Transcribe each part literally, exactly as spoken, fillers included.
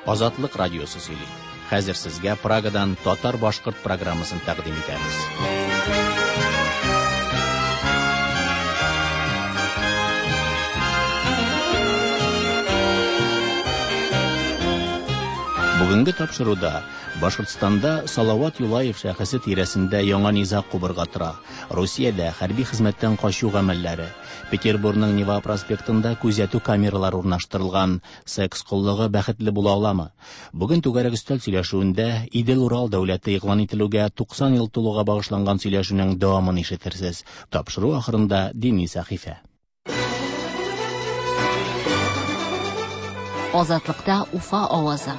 Азатлык радиосы сөйли. Хәзер сезгә Прагадан татар-башкорт программасын тәкъдим итәбез. Бүгенге тапшыруда Башкортстанда Салават Юлаев шәхесе тирәсендә яңа низаг кубырга тора. Русиядә хәрби хезмәттән качу гамәлләре, Петербургның Нева проспектында күзәтү камералары урнаштырылган, секс коллыгы бәхетле була аламы? Бүген түгәрәк өстәл сөйләшүендә Идел-Урал дәүләте игълан ителүгә туксан ел тулуга багышланган сөйләшүнең дәвамын ишетерсез. Тапшыру ахырында дини сәхифә. Азатлыкта Уфа авазы.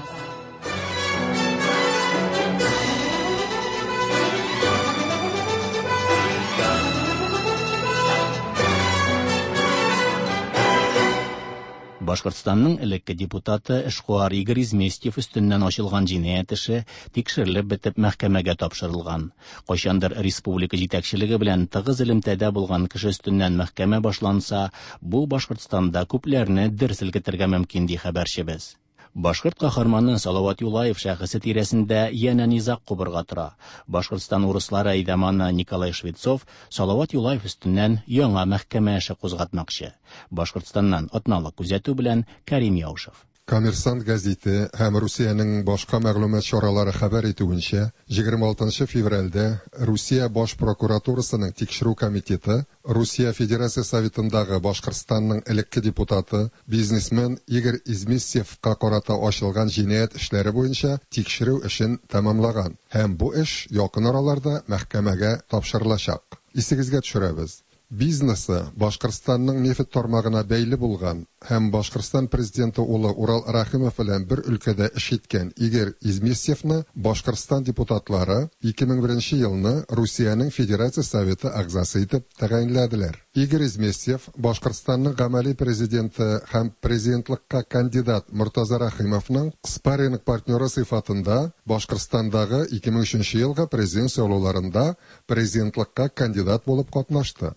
Башкортстанның элекке депутаты эшкуар Игорь Изместьев өстеннән ачылган җинаять эше тикшерелеп бетеп мәхкәмәгә тапшырылган. Кайчандыр республика җитәкчелеге белән тыгыз элемтәдә булган кеше өстеннән мәхкәмә башланса, бу Башкортстанда күпләрне дер селкетергә мөмкин, ди хәбәрчебез. Башкорт каһарманы Салават Юлаев шәхесе тирәсендә янә низаг кубырга тора. Башкортстан урыслары әйдаманы Николай Швецов Салават Юлаев өстеннән яңа мәхкәмә эше кузгатмакчы. Башкортстаннан атналык күзәтү белән Карим Яушев. Коммерсант гәзите һәм Русиянең башка мәгълүмат чаралары хәбәр итүенчә, егерме алтынчы февральдә Русия баш прокуратурасының тикшерү комитеты Русия Федерация Советындагы Башкортстанның элекке депутаты, бизнесмен Игорь Изместьевка карата ачылган җинаять эшләре буенча тикшерү эшен тәмамлаган һәм бу эш якын араларда мәхкәмәгә тапшырылачак. Исегезгә төшерәбез. Бизнесы Башкортстанның нефть тармагына бәйле булган һәм Башкортстан президенты улы Урал Рәхимов белән бер өлкәдә эш иткән Игорь Изместьевны Башкортстан депутатлары ике мең беренче елны Русиянең Федерация Советы әгъзасы итеп тәгаенләделәр. Игорь Изместьев Башкортстанның гамәли президенты һәм президентлыкка кандидат Мортаза Рәхимовның спарринг партнеры сыйфатында Башкортстандагы ике мең өченче елгы президент сайлауларында президентлыкка кандидат булып катнашты.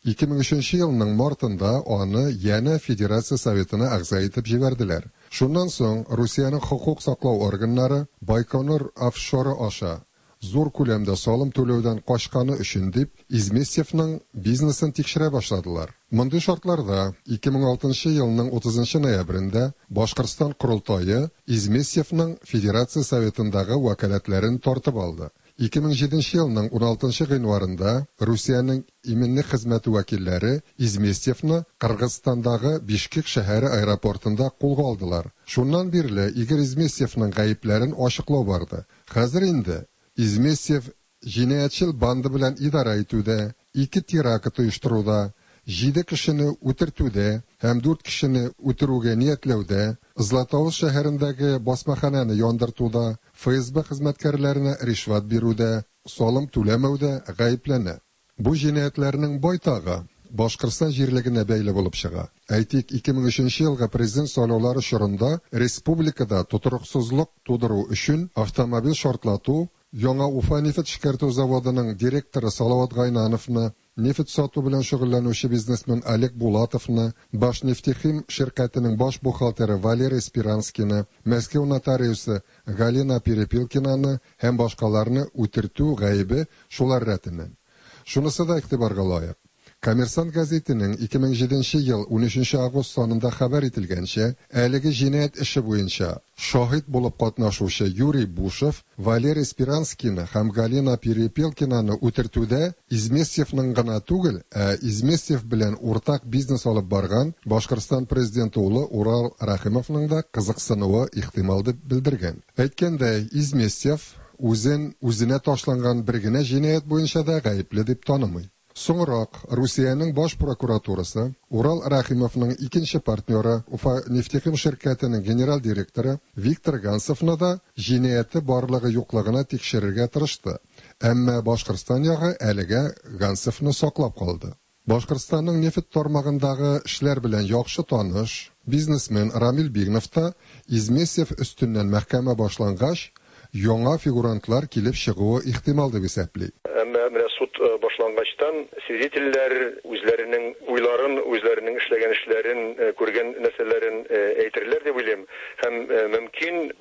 Ике мең өченче елның мартында аны янә Федерация Советына әгъза итеп җибәрделәр. Шуннан соң Русиянең хокук саклау органнары Байконур офшоры аша зур күләмдә салым түләүдән качканы өчен дип Изместьевның бизнесын тикшерә башладылар. Мондый шартларда ике мең алтынчы елның утызынчы ноябрендә Башкортстан Корылтае Изместьевның Федерация Советындагы вәкаләтләрен тартып алды. Ике мең җиденче елның уналтынчы гыйнварында Русиянең иминлек хезмәте вәкилләре Изместьевны Кыргызстандагы Бишкек шәһәре аэропортында кулга алдылар. Шуннан бирле Игорь Изместьевның гаепләрен ачыклау барды. Хәзер инде Изместьев җинаятьчел банды белән идарә итүдә, ике теракт оештыруда, җиде кешене үтертүдә һәм дүрт кешене үтерүгә ниятләүдә, Златоуст шәһәрендәге басмахананы яндыртуда, Эф Эс Бэ хезмәткәрләренә ришвәт бирүдә, салым түләмәүдә гаепләнә. Бу җинаятьләрнең байтагы Башкортстан җирлегенә бәйле булып чыга. Әйтик, ике мең өченче елгы президент сайлаулары чорында республикада тотрыксызлык тудыру өчен автомобиль шартлату, Яңа Уфа нефть эшкәртү заводының директоры Салават Гайнановны, нефть сату белән шөгыльләнүче бизнесмен Олег Булатовны, Башнефтехим ширкәтенең баш бухгалтеры Валерий Спиранскийны, Мәскәү нотариусы Галина Перепелкинаны һәм башкаларны үтертү гаебе шулар рәтеннән. Шунысы да игътибарга лаек. Коммерсант гәзитенең ике мең җиденче ел унөченче август санында хәбәр ителгәнчә, әлеге җинаять эше буенча шаһит булып катнашучы Юрий Бушев Валерий Спиранскийны һәм Галина Перепелкинаны үтертүдә Изместьевның гына түгел, ә Изместьев белән уртак бизнес алып барган Башкортстан президенты улы Урал Рәхимовның да кызыксынуы ихтимал дип белдергән. Әйткәндәй, Изместьев үзен үзенә ташланган бер генә җинаять буенча да гаепле дип танымый. Соңрак Русиянең баш прокуратурасы Урал Рәхимовның икенче партнеры Уфа нефтехим ширкәтенең генераль директоры Виктор Гансовны да җинаяте барлыгы юклыгына тикшерергә тырышты. Әмма Башкортстан ягы әлегә Гансовны саклап калды. Башкортстанның нефть тармагындагы эшләр белән яхшы таныш бизнесмен Рамил Бигнов та Изместьев өстеннән мәхкәмә башлангач, яңа фигурантлар килеп чыгуы ихтимал дип исәпли. Әмма менә суд, э, башлангачтан свидетельләр үзләренең уйларын, үзләренең эшләгән эшләрен, э, күргән нәрсәләрен, э, әйтерләр дип уйлыйм. Һәм, э, мөмкин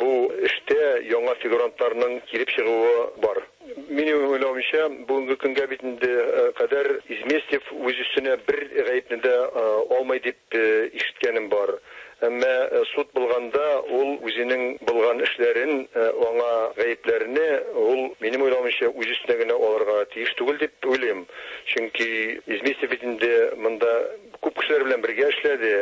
проблемаларның килеп чыгуы бар. Минем уйлавымча, бүгенге көнгә бит инде кадәр Изместьев үз өстенә бер гаепне дә алмый дип ишеткәнем бар. Әмма суд булганда ул үзенең булган эшләрен, аңа гаепләрне ул, минем уйлавымча, үз өстенә генә алырга тиеш түгел дип уйлыйм. Чөнки Изместьев бит инде монда күп кешеләр белән бергә эшләде,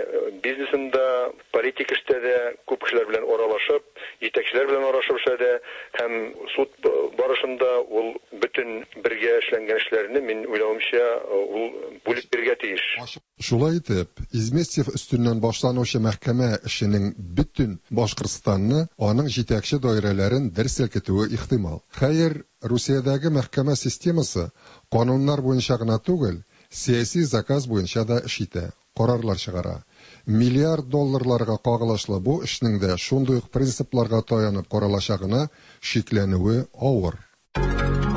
бизнесында, политик эштә дә күп кешеләр белән аралашып, җитәкчеләр белән аралашып эшләде һәм суд барышында ул бөтен бергә эшләнгән эшләрне, мин уйлавымча, ул бүлеп бирергә тиеш. Шулай итеп, Изместьев өстеннән башланучы мәхкәмә эшенең бөтен Башкортстанны, аның җитәкче даирәләрен дер селкетүе ихтимал. Хәер, Русиядәге мәхкәмә системасы кануннар буенча гына түгел, сәяси заказ буенча да эш итә, карарлар чыгара. Миллиард долларларга кагылышлы бу эшнең дә шундый ук принципларга таянып каралачагына шикләнүе авыр.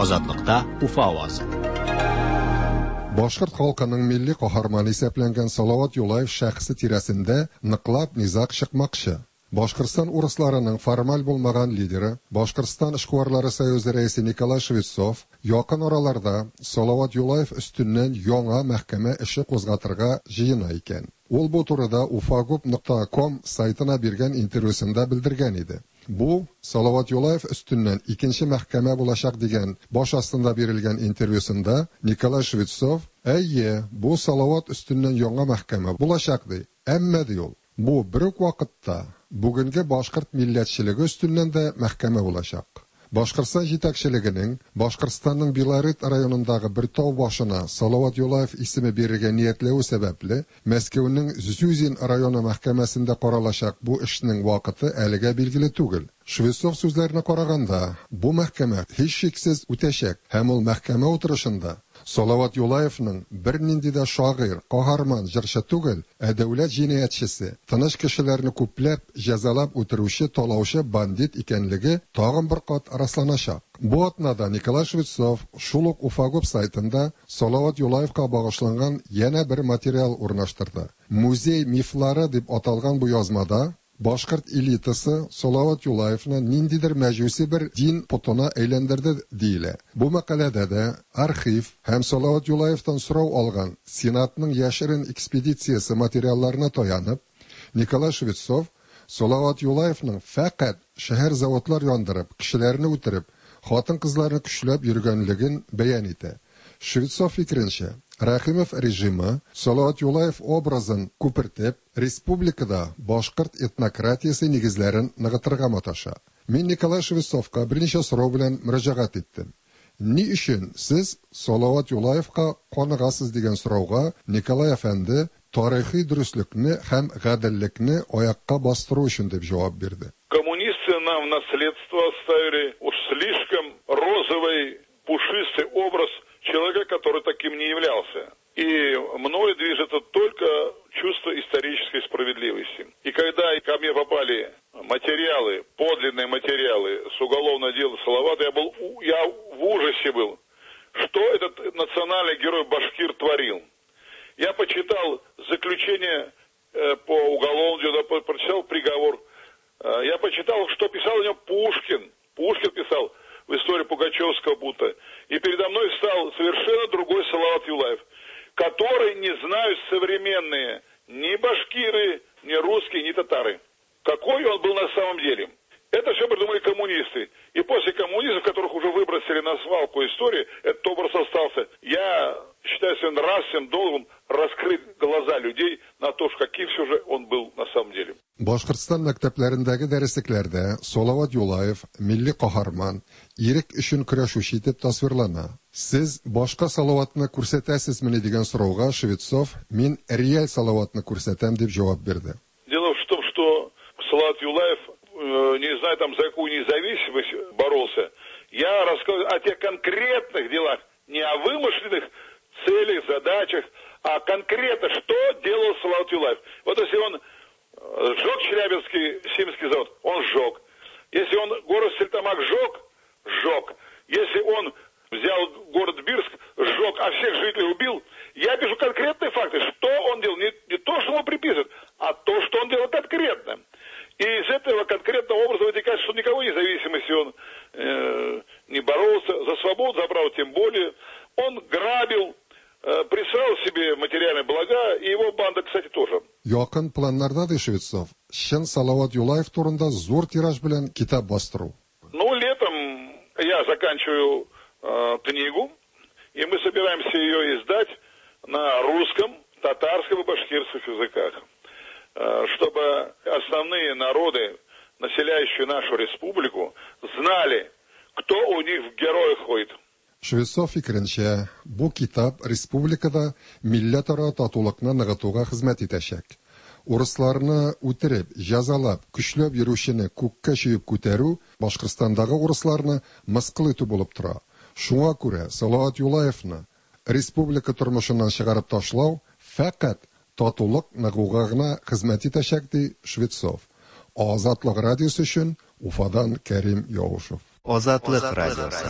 Азатлыкта Уфа авазы. Башкорт халкының милли каһарманы исәпләнгән Салават Юлаев шәхесе тирәсендә ныклап низаг чыкмакчы. Башкортстан урысларының формаль булмаган лидеры, Башкортстан эшкуарлары союзы рәисе Николай Швецов якын араларда Салават Юлаев өстеннән яңа мәхкәмә эше кузгатырга җыена икән. Ул бу турыда уфагуб нокта ком сайтына биргән интервьюсында белдергән иде. Бу Салават Юлаев өстеннән икенче мәхкәмә булачак дигән баш астында бирелгән интервьюсында Николай Швецов, әйе, бу Салават өстеннән яңа мәхкәмә булачак ди. Әмма ди ул, бу бер үк вакытта бүгенге башкорт милләтчелеге өстеннән дә мәхкәмә булачак. Башкортстан җитәкчелегенең Башкортстанның Белорет районындагы бер тау башына Салават Юлаев исеме бирергә ниятләве сәбәпле, Мәскәүнең Зюзин районы мәхкәмәсендә каралачак бу эшнең вакыты әлегә билгеле түгел. Швецов сүзләренә караганда, бу мәхкәмә һичшиксез үтәчәк һәм ул мәхкәмә утырышында Салават Юлаевның бернинди дә шагыйрь, каһарман, җырчы түгел, ә дәүләт җинаятьчесе, тыныч кешеләрне күпләп җәзалап үтерүче, талаучы бандит икәнлеге тагын бер кат расланачак. Бу атнада Николай Швецов шул ук Уфагуб сайтында Салават Юлаевка багышланган янә бер материал урнаштырды. Музей мифлары дип аталган бу язмада башкорт элитасы Салават Юлаевны ниндидер мәҗүси бер дин потына әйләндерде диелә. Бу мәкаләдә дә архив һәм Салават Юлаевтан сорау алган Сенатның яшерен экспедициясе материалларына таянып, Николай Швецов Салават Юлаевның фәкать шәһәр заводлар яндырып, кешеләрне үтереп, хатын-кызларны көчләп йөргәнлеген бәян итә. Швецов фикеренчә, Рәхимов режимы Салават Юлаев образын күпертеп, республикада башкорт этнократиясе нигезләрен ныгытырга маташа. Мин Николай Швецовка берничә сорау белән мөрәҗәгать иттем. Ни өчен сез Салават Юлаевка каныгасыз дигән сорауга Николай әфәнде тарихи дөреслекне һәм гаделлекне аякка бастыру өчен дип җавап бирде. Коммунисты нам в наследство оставили уж слишком розовый, пушистый образ человека, который таким не являлся. И мною движет только чувство исторической справедливости. И когда ко мне попали материалы, подлинные материалы с уголовного дела Салавата, я был, я в ужасе был, что этот национальный герой башкир творил. Я почитал заключение по уголовному делу, прочитал приговор. Я почитал, что писал о нем Пушкин. Пушкин писал в истории Пугачевского бунта. И передо мной стал совершенно другой Салават Юлаев, который не знают современные ни башкиры, ни русские, ни татары. Какой он был на самом деле. Это все придумали коммунисты. И после коммунистов, которых уже выбросили на свалку истории, этот образ остался. Я считаю своим нравственным долгом раскрыть глаза людей на то, каким все же он был на самом деле. Башкортстан мәктәпләрендәге дәреслекләрдә Салават Юлаев милли каһарман, ирек өчен көрәшүче итеп тасвирлана. Сез башка Салаватны күрсәтәсезмени дигән сорауга Швецов «Мин реаль Салаватны күрсәтәм» дип җавап бирде. Дело в том, что Салават Юлаев, не знаю там за какую независимость боролся. Я рассказываю о тех конкретных делах, не о вымышленных целях, задачах, а конкретно, что делал Салават Юлаев. Вот если он сжег Челябинский Симский завод, он сжег. Если он город Стерлитамак сжег, сжег. Если он взял город Бирск, сжег, а всех жителей убил. Я пишу конкретные факты, что он делал. Не, не то, что ему приписывают, а то, что он делал конкретно. И из этого конкретного образа вытекает, что никакой независимости он материальные блага, и его банда, кстати, тоже. Якын планнарда, ди Швецов, чын Салават Юлаев турында зур тираж белән китап бастыру. Ну, летом я заканчиваю э, книгу, и мы собираемся ее издать на русском, татарском и башкирских языках, э, чтобы основные народы, населяющие нашу республику, знали, кто у них в героях ходит. Швецов фикеренчә, бу китап республикада милләтара татулыкны ныгытуга хезмәт итәчәк. Урысларны үтереп, җәзалап, көчләп йөрүчене күккә чөеп күтәрү Башкортстандагы урысларны мыскыл итү булып тора. Шуңа күрә Салават Юлаевны республика тормышыннан чыгарып ташлау фәкать татулык ныгуга гына хезмәт итәчәк, ди Швецов. Азатлык радиосы өчен Уфадан Кәрим Яушев. Азатлык радиосы.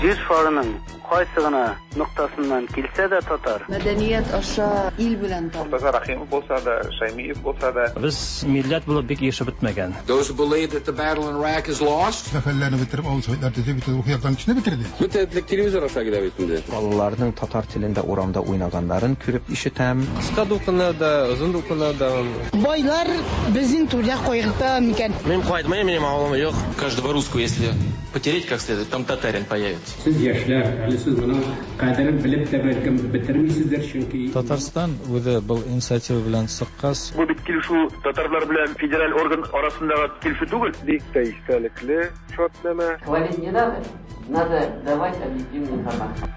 Җир шарының кайсы гына ноктасыннан килсә дә татар. Мәдәният аша ил белән танып. Мортаза Рахимов булса да, Шаймиев булса да. Без милләт булып бик яшәп бетмәгән. Those who believe that the battle in Iraq is lost. Сәфәрләрне бетереп, авыл советлар төзеп, бөтен рухи яктан көчне бетерде. Бөтен телевизор аша килә бит инде. Балаларның татар телендә урамда уйнаганнарын күреп ишетәм. Кыска дулкыннар да, озын дулкыннар да. Байлар безнең түрдә кайгырта микән? Мин кайтмыйм, минем авылым юк. Каждого русского, если потереть как следует, там татарин появится. Сез яшьләр, әле сез моның кадерен белеп тә бәлкем бетермисездер, чөнки Татарстан үзе был инициатива белән чыккач. Бу бит килешү татарлар белән федераль орган арасындагы килешү түгел. Бик тә истәлекле шартнамә. Хвалить не надо, надо давать объективную информацию.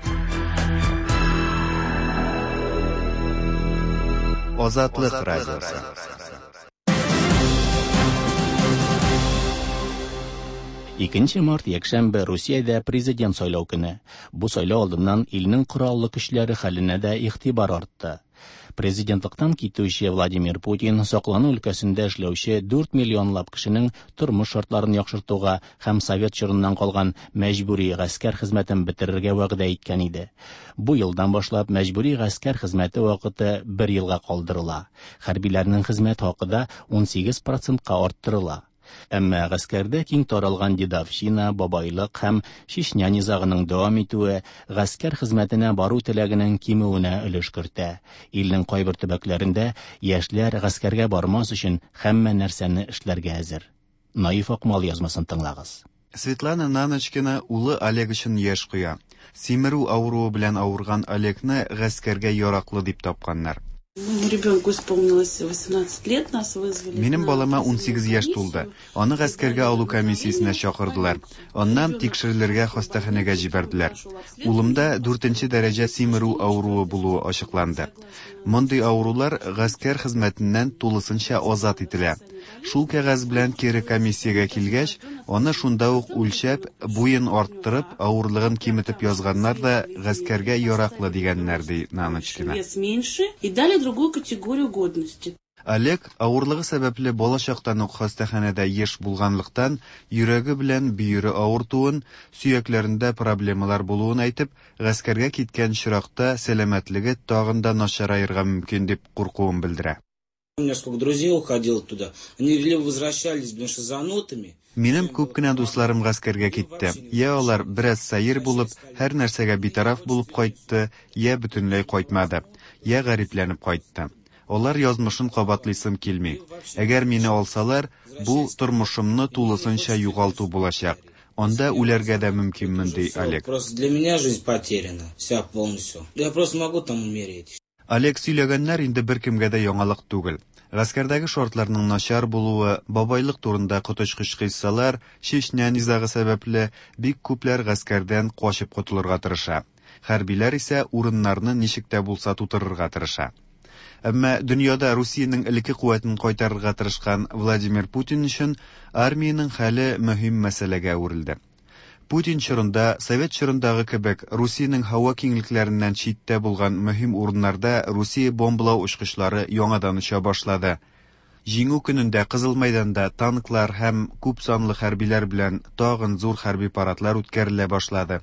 Азатлык радиосы. Икенче март якшәмбе Русиядә президент сайлау көне. Бу сайлау алдыннан илнең кораллы көчләре хәленә дә игътибар артты. Президентлыктан китүче Владимир Путин саклану өлкәсендә эшләүче дүрт миллионлап кешенең тормыш шартларын яхшыртуга һәм совет чорыннан калган мәҗбүри гаскәр хезмәтен бетерергә вәгъдә иткән иде. Бу елдан башлап мәҗбүри гаскәр хезмәте вакыты бер елга калдырыла. Хәрбиләрнең хезмәт хакы да ун сигез процентка арттырыла. Әмма гаскәрдә киң таралган дедовщина, бабайлык һәм Чечня низагының дәвам итүе гаскәр хезмәтенә бару теләгенең кимүенә өлеш кертә. Илнең кайбер төбәкләрендә яшьләр гаскәргә бармас өчен һәммә нәрсәне эшләргә әзер. Наиф Акмал язмасын тыңлагыз. Светлана Наночкина улы Олег өчен яшь куя. Симерү авыруы белән авырган Олегны гаскәргә яраклы дип тапканнар. Моему ребенку исполнилось восемнадцать лет, нас вызвали. Минем балама ун сигез яшь тулды. Аны гаскәргә алу комиссиясенә чакырдылар. Аннан тикшерелергә хастаханәгә җибәрделәр. Улымда дүртенче дәрәҗә симерү авыруы булуы ачыкланды. Мондый авырулар гаскәр хезмәтеннән тулысынча азат ителә. Шул кәгазь белән кире комиссиягә килгәч, аны шунда ук үлчәп, буен арттырып, авырлыгын киметеп язганнар да гаскәргә яраклы дигәннәр, ди Наночкина. Вес меньше и дали другую категорию годности. Олег авырлыгы сәбәпле балачактан ук хастаханәдә еш булганлыктан, йөрәге белән бөере авыртуын, сөякләрендә проблемалар булуын әйтеп, гаскәргә киткән чиракта сәламәтлеге тагын да начараерга мөмкин дип куркуын белдерә. У меня сколько друзей уходило туда, они либо возвращались, потому что занотами. Минем күп кенә дусларым гаскәргә китте. Я алар бераз сәер булып, һәр нәрсәгә битараф булып кайтты, я бөтенләй кайтмады, я гарипләнеп кайтты. Алар язмышын кабатлыйсым килми. Әгәр мине алсалар, бу тормышымны тулысынча югалту булачак. Анда үләргә дә мөмкинмен, ди Олег. Просто для меня жизнь потеряна, вся полностью. Я просто могу там умереть. Олег сөйләгәннәр инде беркемгә дә яңалык түгел. Гаскәрдәге шартларның начар булуы, бабайлык турында коточкыч кыйссалар, Чечня низагы сәбәпле бик күпләр гаскәрдән качып котылырга тырыша. Хәрбиләр исә урыннарны ничек тә булса тутырырга тырыша. Әмма дөньяда Русиянең элекке куәтен кайтарырга тырышкан Владимир Путин өчен армиянең хәле мөһим мәсьәләгә әверелде. Путин чорында, Совет чорындагы кебек, Русиянең һава киңлекләреннән читтә булган мөһим урыннарда Русия бомбалау очкычлары яңадан оча башлады. Җиңү көнендә Кызыл мәйданда танклар һәм күп санлы хәрбиләр белән тагын зур хәрби парадлар үткәрелә башлады.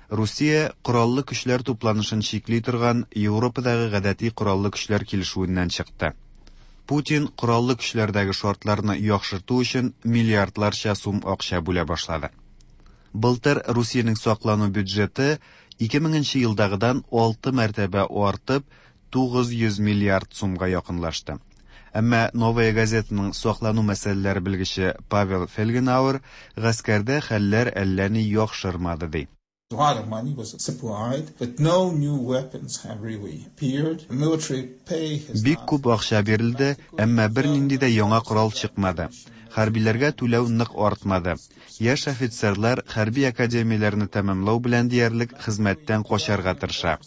Русия кораллы көчләр тупланышын чикли торган Европадагы гадәти кораллы көчләр килешүеннән чыкты. Путин кораллы көчләрдәге шартларны яхшырту өчен миллиардларча сум акча бүлә башлады. Былтыр Русиянең саклану бюджеты ике меңенче елдагыдан алты мәртәбә артып, тугыз йөз миллиард сумга якынлашты. Әмма Новая газетаның саклану мәсьәләләре белгече Павел Фельгенауэр гаскәрдә хәлләр әллә ни яхшырмады ди. A lot of money was supplied, but no new weapons have really appeared. Military pay has Бик күп акча бирелде, әмма бернинди дә яңа корал чыкмады. Хәрбиләргә түләү нык артмады. Яшь офицерлар хәрби академияләрне тәмамлау белән диярлек хезмәттән качарга тырыша.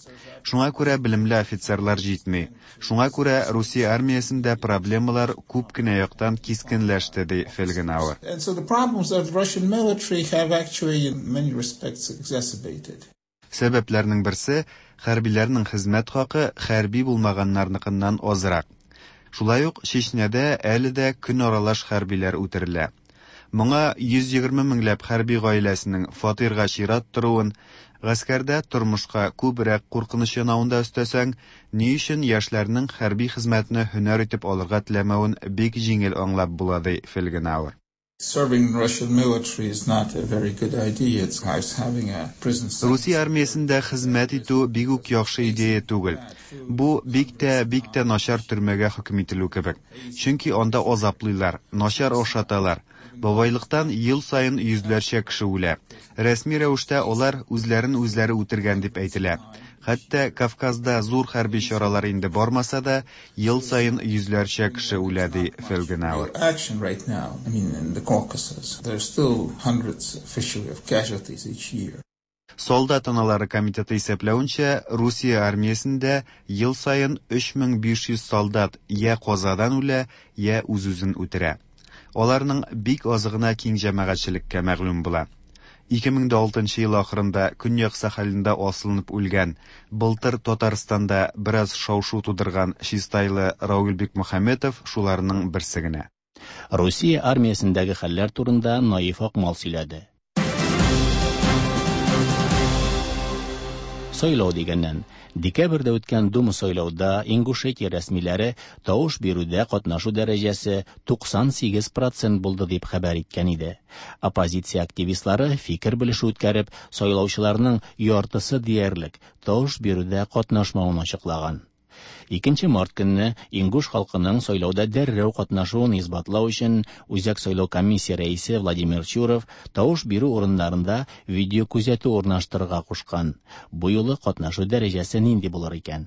Шуңа күрә белемле офицерлар җитми. Шуңа күрә Русия армиясендә проблемалар күп кенә яктан кискенләште, ди Фельгенауэр. And so the problems of the Russian military have actually in many respects exacerbated. Сәбәпләрнең берсе хәрбиләрнең хезмәт хакы хәрби булмаганнарныкыннан азрак. Шулай ук Чечняда әле дә көн аралаш хәрбиләр үтерелә. Моңа йөз егерме меңләп хәрби гаиләсенең фатирга чират торуын, гаскәрдә тормышка күбрәк куркыныч янавын да өстәсәң, ни өчен яшьләрнең хәрби хезмәтне һөнәр итеп алырга теләмәвен бик җиңел аңлап була, ди Фельгенауэр. Serving in Russian military is not a very good idea. It's like having a prison sentence. Русия армиясендә хезмәт итү бик үк яхшы идея түгел. Бу бик тә, бик тә начар төрмәгә хөкем ителү кебек. Чөнки анда азаплыйлар, начар ашаталар. Бабайлыктан ел саен йөзләрчә кеше үлә. Рәсми рәвештә алар үзләрен үзләре үтергән дип әйтелә. Хәтта Кавказда зур хәрби чаралар инде бармаса да, ел саен йөзләрчә кеше үлә, ди Фельгенауэр. Action right now, I mean, in the Caucasus, there's still hundreds officially of casualties each year. Солдат аналары комитеты исәпләвенчә, Русия армиясендә ел саен өч мең биш йөз солдат я казадан үлә, я үз-үзен үтерә. Аларның бик азы гына киң җәмәгатьчелеккә мәгълүм була. Ике мең дә алтынчы ел ахырында Көньяк Сахалинда асылынып үлгән, былтыр Татарстанда бераз шау-шу тудырган чистайлы Рауль Бикмөхәммәтов шуларның берсе генә. Русия армиясендәге хәлләр турында Наиф Акмал сөйләде. Сайлау дигәннән, декабрьдә үткән Дума сайлауда Ингушетия рәсмиләре тавыш бирүдә катнашу дәрәҗәсе туксан сигез процент булды дип хәбәр иткән иде. Оппозиция активистлары фикер белешү үткәреп, сайлаучыларның яртысы диярлек тавыш бирүдә катнашмавын ачыклаган. Икенче март көнне Ингуш халкының сайлауда дәррәү катнашуын исбатлау өчен Үзәк сайлау комиссия рәисе Владимир Чуров тавыш бирү урыннарында видео күзәтү урнаштырырга кушкан. Бу юлы катнашу дәрәҗәсе нинди булыр икән?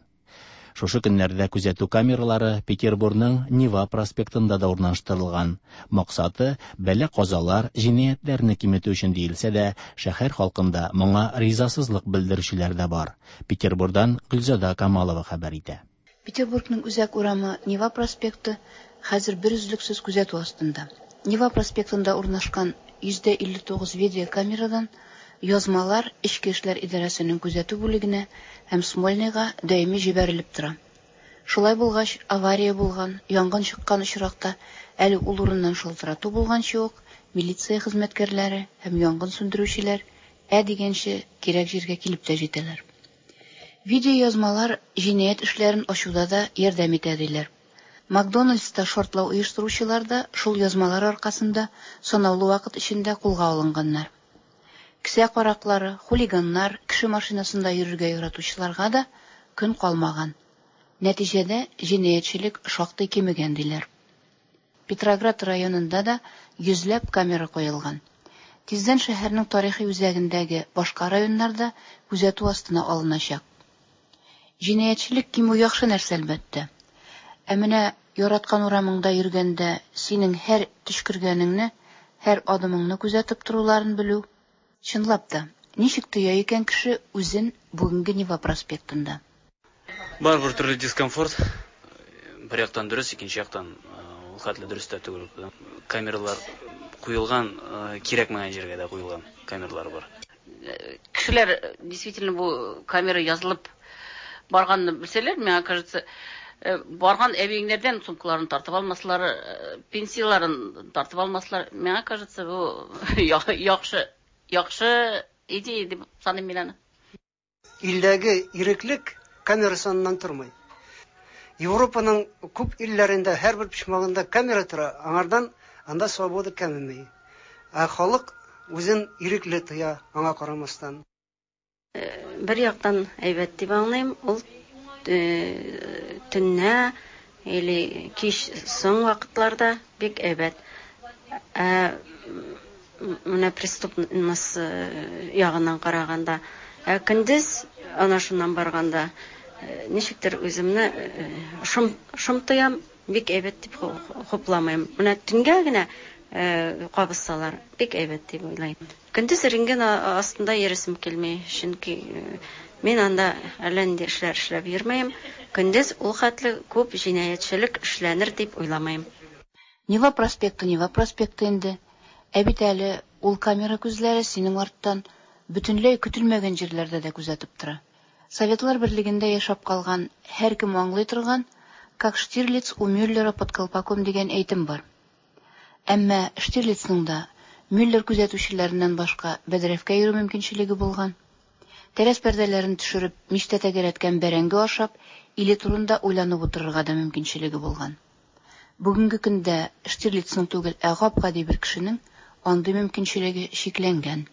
Шушы көннәрдә күзәтү камералары Петербургның Нева проспектында да урнаштырылган. Максаты бәла-казалар, җинаятьләрне киметү өчен диелсә дә, шәһәр халкында моңа ризасызлык белдерүчеләр дә бар. Петербургдан Гөлзада Камалова хәбәр итә. Петербургның үзәк урамы Нева проспекты хәзер бер өзлексез күзәтү астында. Нева проспектында урнашкан йөздә илле тугыз видеокамерадан язмалар Эчке эшләр идарәсенең күзәтү бүлегенә һәм Смольныйга даими җибәрелеп тора. Шулай булгач, авария булган, янгын чыккан очракта әле ул урыннан шалтырату булганчы ук милиция хезмәткәрләре һәм янгын сүндерүчеләр ә дигәнче кирәк җиргә килеп тә җитәләр. Видеоязмалар җинаять эшләрен ачуда да ярдәм итә диләр. Макдональдста шартлау оештыручылар да шул язмалар аркасында санаулы вакыт эчендә кулга алынганнар. Кесә караклары, хулиганнар, кеше машинасында йөрергә яратучыларга да көн калмаган. Нәтиҗәдә җинаятьчелек шактый кимегән диләр. Петроград районында да йөзләп камера куелган. Тиздән шәһәрнең тарихи үзәгендәге башка районнарда күзәтү астына алыначак. Җинаятьчелек кимү яхшы нәрсә әлбәттә. Ә менә яраткан урамыңда йөргәндә синең һәр төчкергәнеңне, һәр адымыңны күзәтеп торуларын белү. Чынлап та, ничек тоя икән кеше үзен бүгенге Нева проспектында? Бар бер төрле дискомфорт. Бер яктан дөрес, икенче яктан ул хәтле дөрес тә түгел. Камералар куелган, кирәкмәгән җиргә дә куелган камералар бар. Кешеләр действительно бу камера язылып барганны белсәләр, миңа кажется, барган әбиеңнәрдән сумкаларын тартып алмаслар, пенсияларын тартып алмаслар. Миңа кажется, бу яхшы, яхшы идея дип саныйм мин аны. Илдәге иреклек камера саныннан тормый. Европаның күп илләрендә һәрбер почмагында камера тора, аңардан анда свобода кәмеми. Ә халык үзен ирекле тоя, аңа карамастан. Бер яктан әйбәт дип аңлыйм, ул төннә или кич соң вакытларда бик әйбәт. Ә менә преступность ягыннан караганда, ә көндез ана шуннан барганда ничектер үземне шом шом тоям, бик әйбәт дип хупламыйм. Менә төнгә генә кабызсалар, бик әйбәт дип уйлыйм. Көндез рентген астында йөресем килми, чөнки мин анда әллә нинди эшләр эшләп йөрмәйм. Көндез ул хәтле күп җинаятьчелек эшләнер дип уйламыйм. Нева проспекты, Нева проспекты инде. Ә бит әле ул камера күзләре синең арттан бөтенләй көтелмәгән җирләрдә дә күзәтеп тора. Советлар берлегендә яшәп калган һәркем аңлый торган «Как Штирлиц у Мюллера под колпаком» дигән әйтем бар. Әмма Штирлицның да Мюллер күзәтүчеләреннән башка бәдрәфкә йөрү мөмкинчелеге булган. Тәрәз пәрдәләрен төшереп, мичтә тәгәрәткән бәрәңге ашап, иле турында уйланып утырырга да мөмкинчелеге булган. Бүгенге көндә Штирлицның түгел, ә гап-гади бер кешенең андый мөмкинчелеге чикләнгән.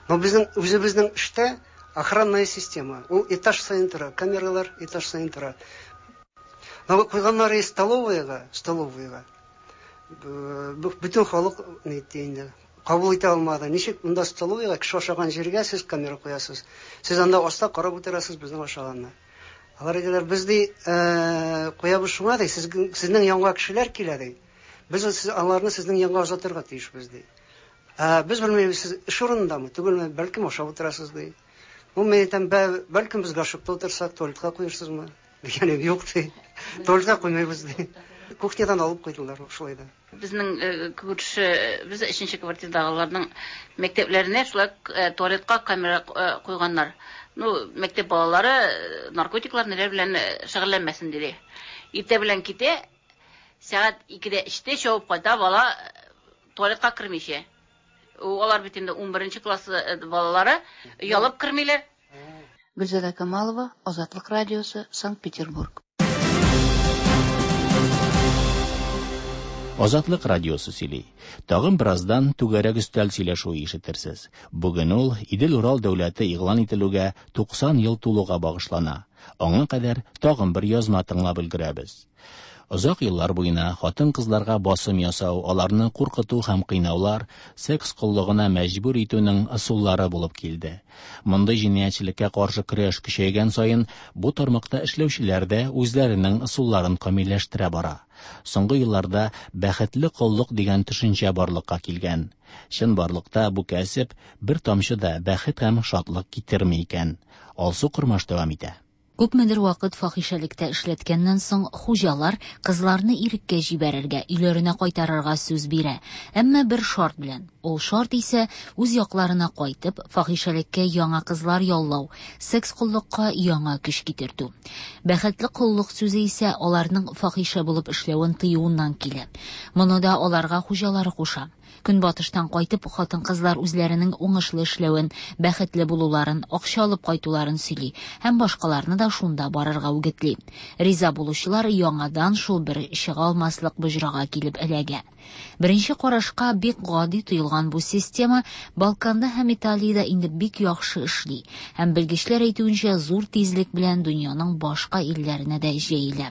Но безнең үзебезнең эштә охранная система. Ул этаж саен тора, камералар этаж саен тора. Но куйганнары столовыйга, столовыйга. Бөтен халык нитте инде. Кабул итә алмады. Ничек монда столовыйга кеше ашаган җиргә сез камера куясыз? Сез анда аста карап утырасыз безнең ашаганны. Алар әйтәләр, без ди куябыз шуңа ди, сезнең янга кешеләр килә ди. Без аларны сезнең янга озатырга тиешбез ди. Ә без белмибез, сез эш урынындамы, түгелме, бәлкем ашап утырасыз ди. Бу мен әйтәм, бәлкем без гашыкта утырсак, туалетка куерсызмы? Дигән юк ди. Туалетка куймыйбыз ди. Кухнядан алып куйдылар шулай да. Безнең күрше, без өченче квартирадагыларның мәктәпләренә шулай туалетка камера куйганнар. Ну, мәктәп балалары наркотиклар ниләр белән шөгыльләнмәсен диде. Иртә белән китә, сәгать икедә эштә чабып кайта, бала туалетка кермичә. Алар бит инде унберенче класс балалары оялып кермиләр. Гөлзада Камалова, Азатлык радиосы, Санкт-Петербург. Азатлык радиосы сөйли. Тагын бераздан түгәрәк өстәл сөйләшүе ишетерсез. Бүген ул Идел-Урал дәүләте игълан ителүгә туксан ел тулуга багышлана. Аңа кадәр тагын бер язма тыңлап өлгерәбез. Озак еллар буена хатын-кызларга басым ясау, аларны куркыту һәм кыйнаулар секс коллыгына мәҗбүр итүнең ысуллары булып килде. Мондый җинаятьчелеккә каршы көрәш көчәйгән саен бу тармакта эшләүчеләр дә үзләренең ысулларын камилләштерә бара. Соңгы елларда бәхетле коллык дигән төшенчә барлыкка килгән. Чынбарлыкта бу кәсеп бер тамчы да бәхет һәм шатлык китерми икән. Алсу Кормаш дәвам итә. Күпмедер вакыт фахишәлектә эшләткәннән соң хуҗалар кызларны иреккә җибәрергә, өйләренә кайтарырга сүз бирә. Әмма бер шарт белән. Ул шарт исә үз якларына кайтып, фахишәлеккә яңа кызлар яллау, секс коллыкка яңа көч китертү. Бәхетле коллык сүзе исә аларның фахишә булып эшләвен тыюыннан килә. Моны да аларга хуҗалары куша. Көнбатыштан кайтып, хатын-кызлар үзләренең уңышлы эшләвен, бәхетле булуларын, акча алып кайтуларын сөйли һәм башкаларны да шунда барырга үгетли. Риза булучылар яңадан шул бер чыга алмаслык боҗрага килеп эләгә. Беренче карашка бик гади тоелган бу система Балканда һәм Италиядә инде бик яхшы эшли һәм белгечләр әйтүенчә зур тизлек белән дөньяның башка илләренә дә җәелә.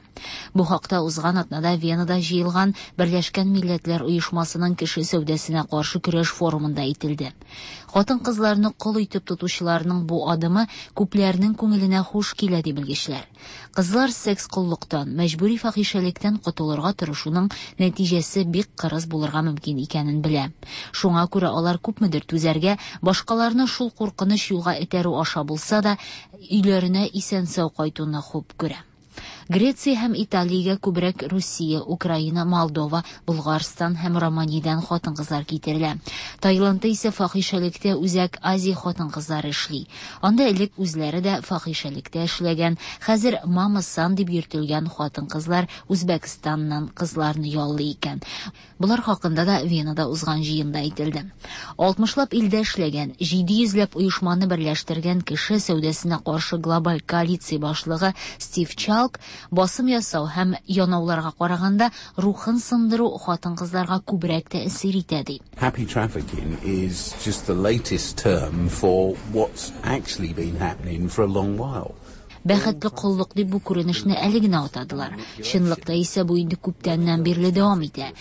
Бу хакта узган атнада Венада җыелган Берләшкән Милләтләр Оешмасының кеше сәүдәсенә каршы көрәш форумында әйтелде. Хатын-кызларны кол итеп тотучыларның бу адымы күпләрнең күңеленә хуш килә ди белгечләр. Кызлар секс коллыктан, мәҗбүри фахишәлектән котылырга тырышуның нәтиҗәсе бик кырыс булырга мөмкин икәнен белә. Шуңа күрә алар күпмедер түзәргә, башкаларны шул куркыныч юлга этәрү аша булса да, өйләренә исән-сау кайтуны хуп күрә. Греция һәм Италиягә күбрәк Русия, Украина, Молдова, Булгарстан һәм Романиядән хатын-кызлар китерелә. Таиландта исә фахишәлектә Үзәк Азия хатын-кызлары эшли. Анда элек үзләре дә фахишәлектә эшләгән, хәзер мама-сан дип йөртелгән хатын-кызлар Үзбәкстаннан кызларны яллый икән. Болар хакында да Венада узган җыенда әйтелде. Алтмышлап илдә эшләгән, җиде йөзләп оешманы берләштергән кеше сәүдәсенә каршы глобаль коалиция башлыгы Стив Чалк Басым ясау һәм янауларга караганда рухын сындыру хатын-кызларга күбрәк тәэсир итә, ди. Happy trafficking is just the latest term for what's actually been happening for a long while. Бәхетле коллык дип бу күренешне әле генә атадылар. Чынлыкта исә бу инде күптәннән бирле дәвам итә.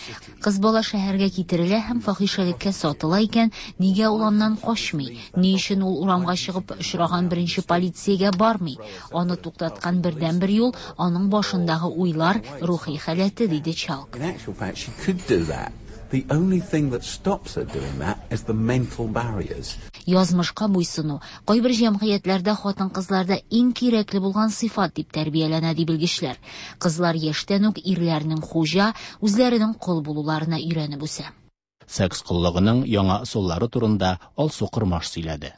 Кыз бала шәһәргә китерелә һәм фахишәлеккә сатыла икән, нигә ул аннан качмый? Ни өчен ул урамга чыгып очраган беренче полициягә бармый? Аны туктаткан бердәнбер юл аның башындагы уйлар, рухи халәте, диде Чалк. In actual fact, she could do that. The only thing that stops her doing that is the mental barriers. Язмышка буйсыну кайбер җәмгыятьләрдә хатын-кызларда иң кирәкле булган сыйфат дип тәрбияләнә, ди белгечләр. Кызлар яшьтән үк ирләрнең хуҗа, үзләренең кол булуларына өйрәнеп үсә. Секс коллыгының яңа ысуллары турында Алсу Кормаш сөйләде.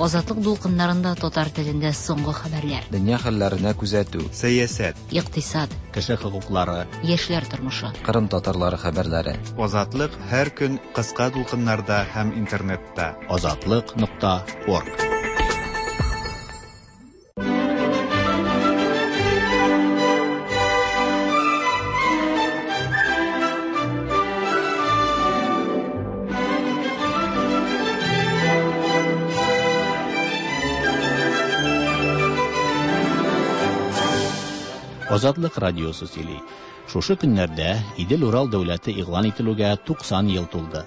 Азатлык дулкыннарында татар телендә соңгы хәбәрләр. Дөнья хәлләренә күзәтү. Сәясәт. Икътисад. Кеше хокуклары. Яшьләр тормышы. Кырым татарлары хәбәрләре. Азатлык һәр көн кыска дулкыннарда һәм интернетта. Азатлык нокта орг. Азатлык радиосы сөйли. Шушы көннәрдә Идел-Урал дәүләте игълан ителүгә туксан ел тулды.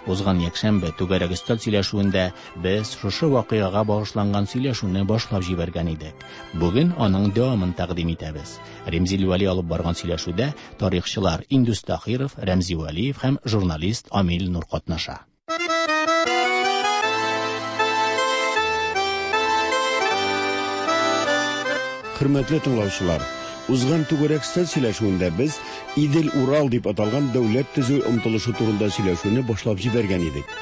Узган якшәмбе түгәрәк өстәл сөйләшүендә без шушы вакыйгага багышланган сөйләшүне башлап җибәргән идек. Бүген аның дәвамын тәкъдим итәбез. Ремзил Вәли алып барган сөйләшүдә тарихчылар Индус Тахиров, Рәмзи Вәлиев һәм журналист Амил Нур катнаша. Хөрмәтле тыңлаучылар, узган түгәрәк өстәл сөйләшүендә без Идел-Урал дип аталган дәүләт төзү омтылышы турында сөйләшүне башлап җибәргән идек.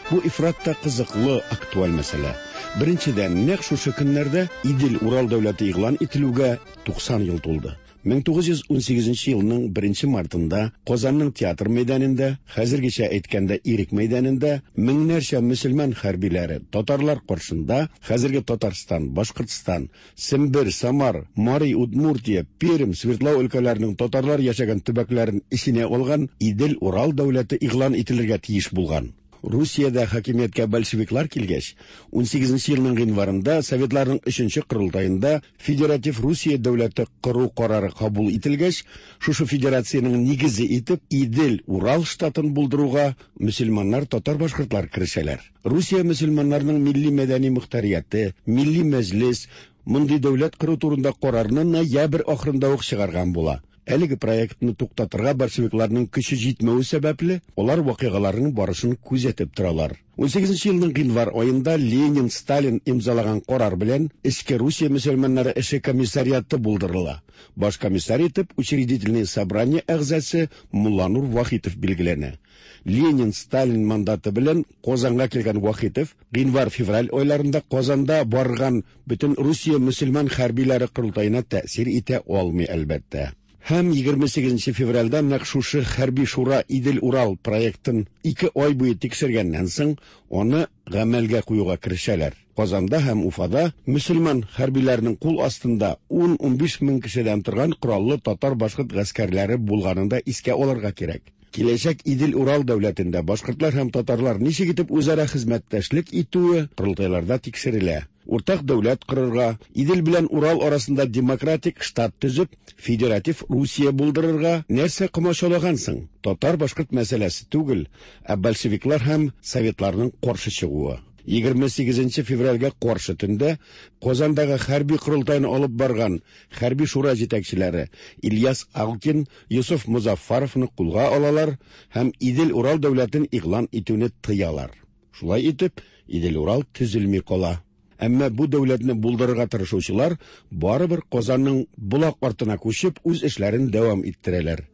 Бу ифрат та кызыклы, актуаль мәсьәлә. Беренчедән, нәкъ шушы көннәрдә Идел-Урал дәүләте игълан ителүгә туксан ел тулды. мең тугыз йөз унсигезенче елның беренче мартында Казанның театр мәйданында, хәзергечә әйткәндә Ирек мәйданында меңнәрчә мөселман хәрбиләре татарлар каршында хәзерге Татарстан, Башкортстан, Сембер, Самар, Мари, Удмуртия, Пермь, Свердлау өлкәләренең татарлар яшәгән төбәкләрен эченә алган Идел-Урал дәүләте игълан ителергә тиеш булган. Русиядә хакимияткә большевиклар килгәч, унсигезенче елның гыйнварында Советларның өченче корылтаенда Федератив Русия дәүләте кору карары кабул ителгәч, шушы федерациянең нигезе итеп Идел-Урал штатын булдыруга мөселманнар, татар-башкортлар керешәләр. Русия мөселманнарының милли мәдәни мөхтәрияте, милли мәҗлис мондый дәүләт кору турында карарны ноябрь ахырында ук чыгарган була. Әлеге проектны туктатырга большевикларның көче җитмәве сәбәпле, алар вакыйгаларның барышын күзәтеп торалар. унсигезенче елның гыйнвар аенда Ленин, Сталин имзалаган карар белән Эчке Русия мөселманнары эше комиссариаты булдырыла. Баш комиссар итеп учредительное собрание әгъзасы Мулланур Вахитов билгеләнә. Ленин, Сталин мандаты белән Казанга килгән Вахитов гыйнвар-февраль айларында Казанда барган бөтен Русия мөселман хәрбиләре корылтаена тәэсир итә алмый, әлбәттә. Һәм егерме сигезенче февральдә нәкъ шушы хәрби шура Идел-Урал проектын ике ай буе тикшергәннән соң аны гамәлгә куюга керешәләр. Казанда һәм Уфада мөселман хәрбиләренең кул астында ун-унбиш мең кешедән торган кораллы татар-башкорт гаскәрләре булганын да искә алырга кирәк. Киләчәк Идел-Урал дәүләтендә башкортлар һәм татарлар ничек итеп үзара хезмәттәшлек итүе корылтайларда тикшерелә. Уртак дәүләт корырга, Идел белән Урал арасында демократик штат төзеп, федератив Русия булдырырга нәрсә комачаулаган соң? Татар-башкорт мәсьәләсе түгел, ә большевиклар һәм советларның каршы чыгуы. егерме сигезенче февральгә каршы төндә Казандагы хәрби корылтайны алып барган хәрби шура җитәкчеләре Ильяс Алкин, Юсуф Музаффаровны кулга алалар һәм Идел-Урал дәүләтен игълан итүне тыялар. Шулай итеп, Идел-Урал төзелми кала. Әмма бу дәүләтне булдырырга тырышучылар барыбер Казанның Болак артына күчеп үз эшләрен дәвам иттерәләр.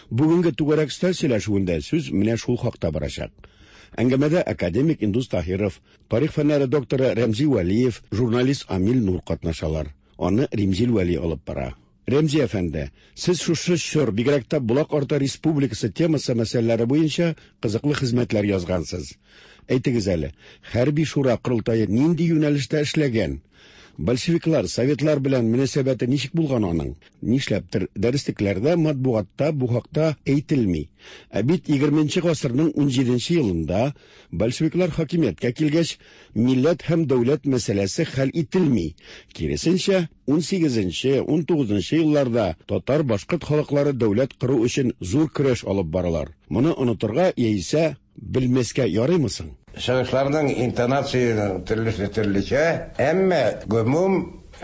Бүгенге түгәрәк өстәл сөйләшүендә сүз менә шул хакта барачак. Әңгәмәдә академик Индус Таһиров, тарих фәннәре докторы Рәмзи Вәлиев, журналист Амил Нур катнашалар. Аны Ремзил Вәли алып бара. Рәмзи әфәнде, сез шушы чор, бигрәк тә Болак арты республикасы темасы мәсьәләләре буенча кызыклы хезмәтләр язгансыз. Әйтегез әле, хәрби шура корылтае нинди юнәлештә эшләгән? Большевиклар, советлар белән мөнәсәбәте ничек булган аның? Нишләптер дәреслекләрдә, матбугатта бу хакта әйтелми. Ә бит егерменче гасырның унҗиденче елында большевиклар хакимияткә килгәч, милләт һәм дәүләт мәсьәләсе хәл ителми. Киресенчә, унсигезенче, унтугызынчы елларда татар-башкорт халыклары дәүләт кору өчен зур көрәш алып баралар. Моны онытырга яисә белмәскә ярыймы соң? Чыгышларның интонациясенең төрлесе төрлечә, әмма гомум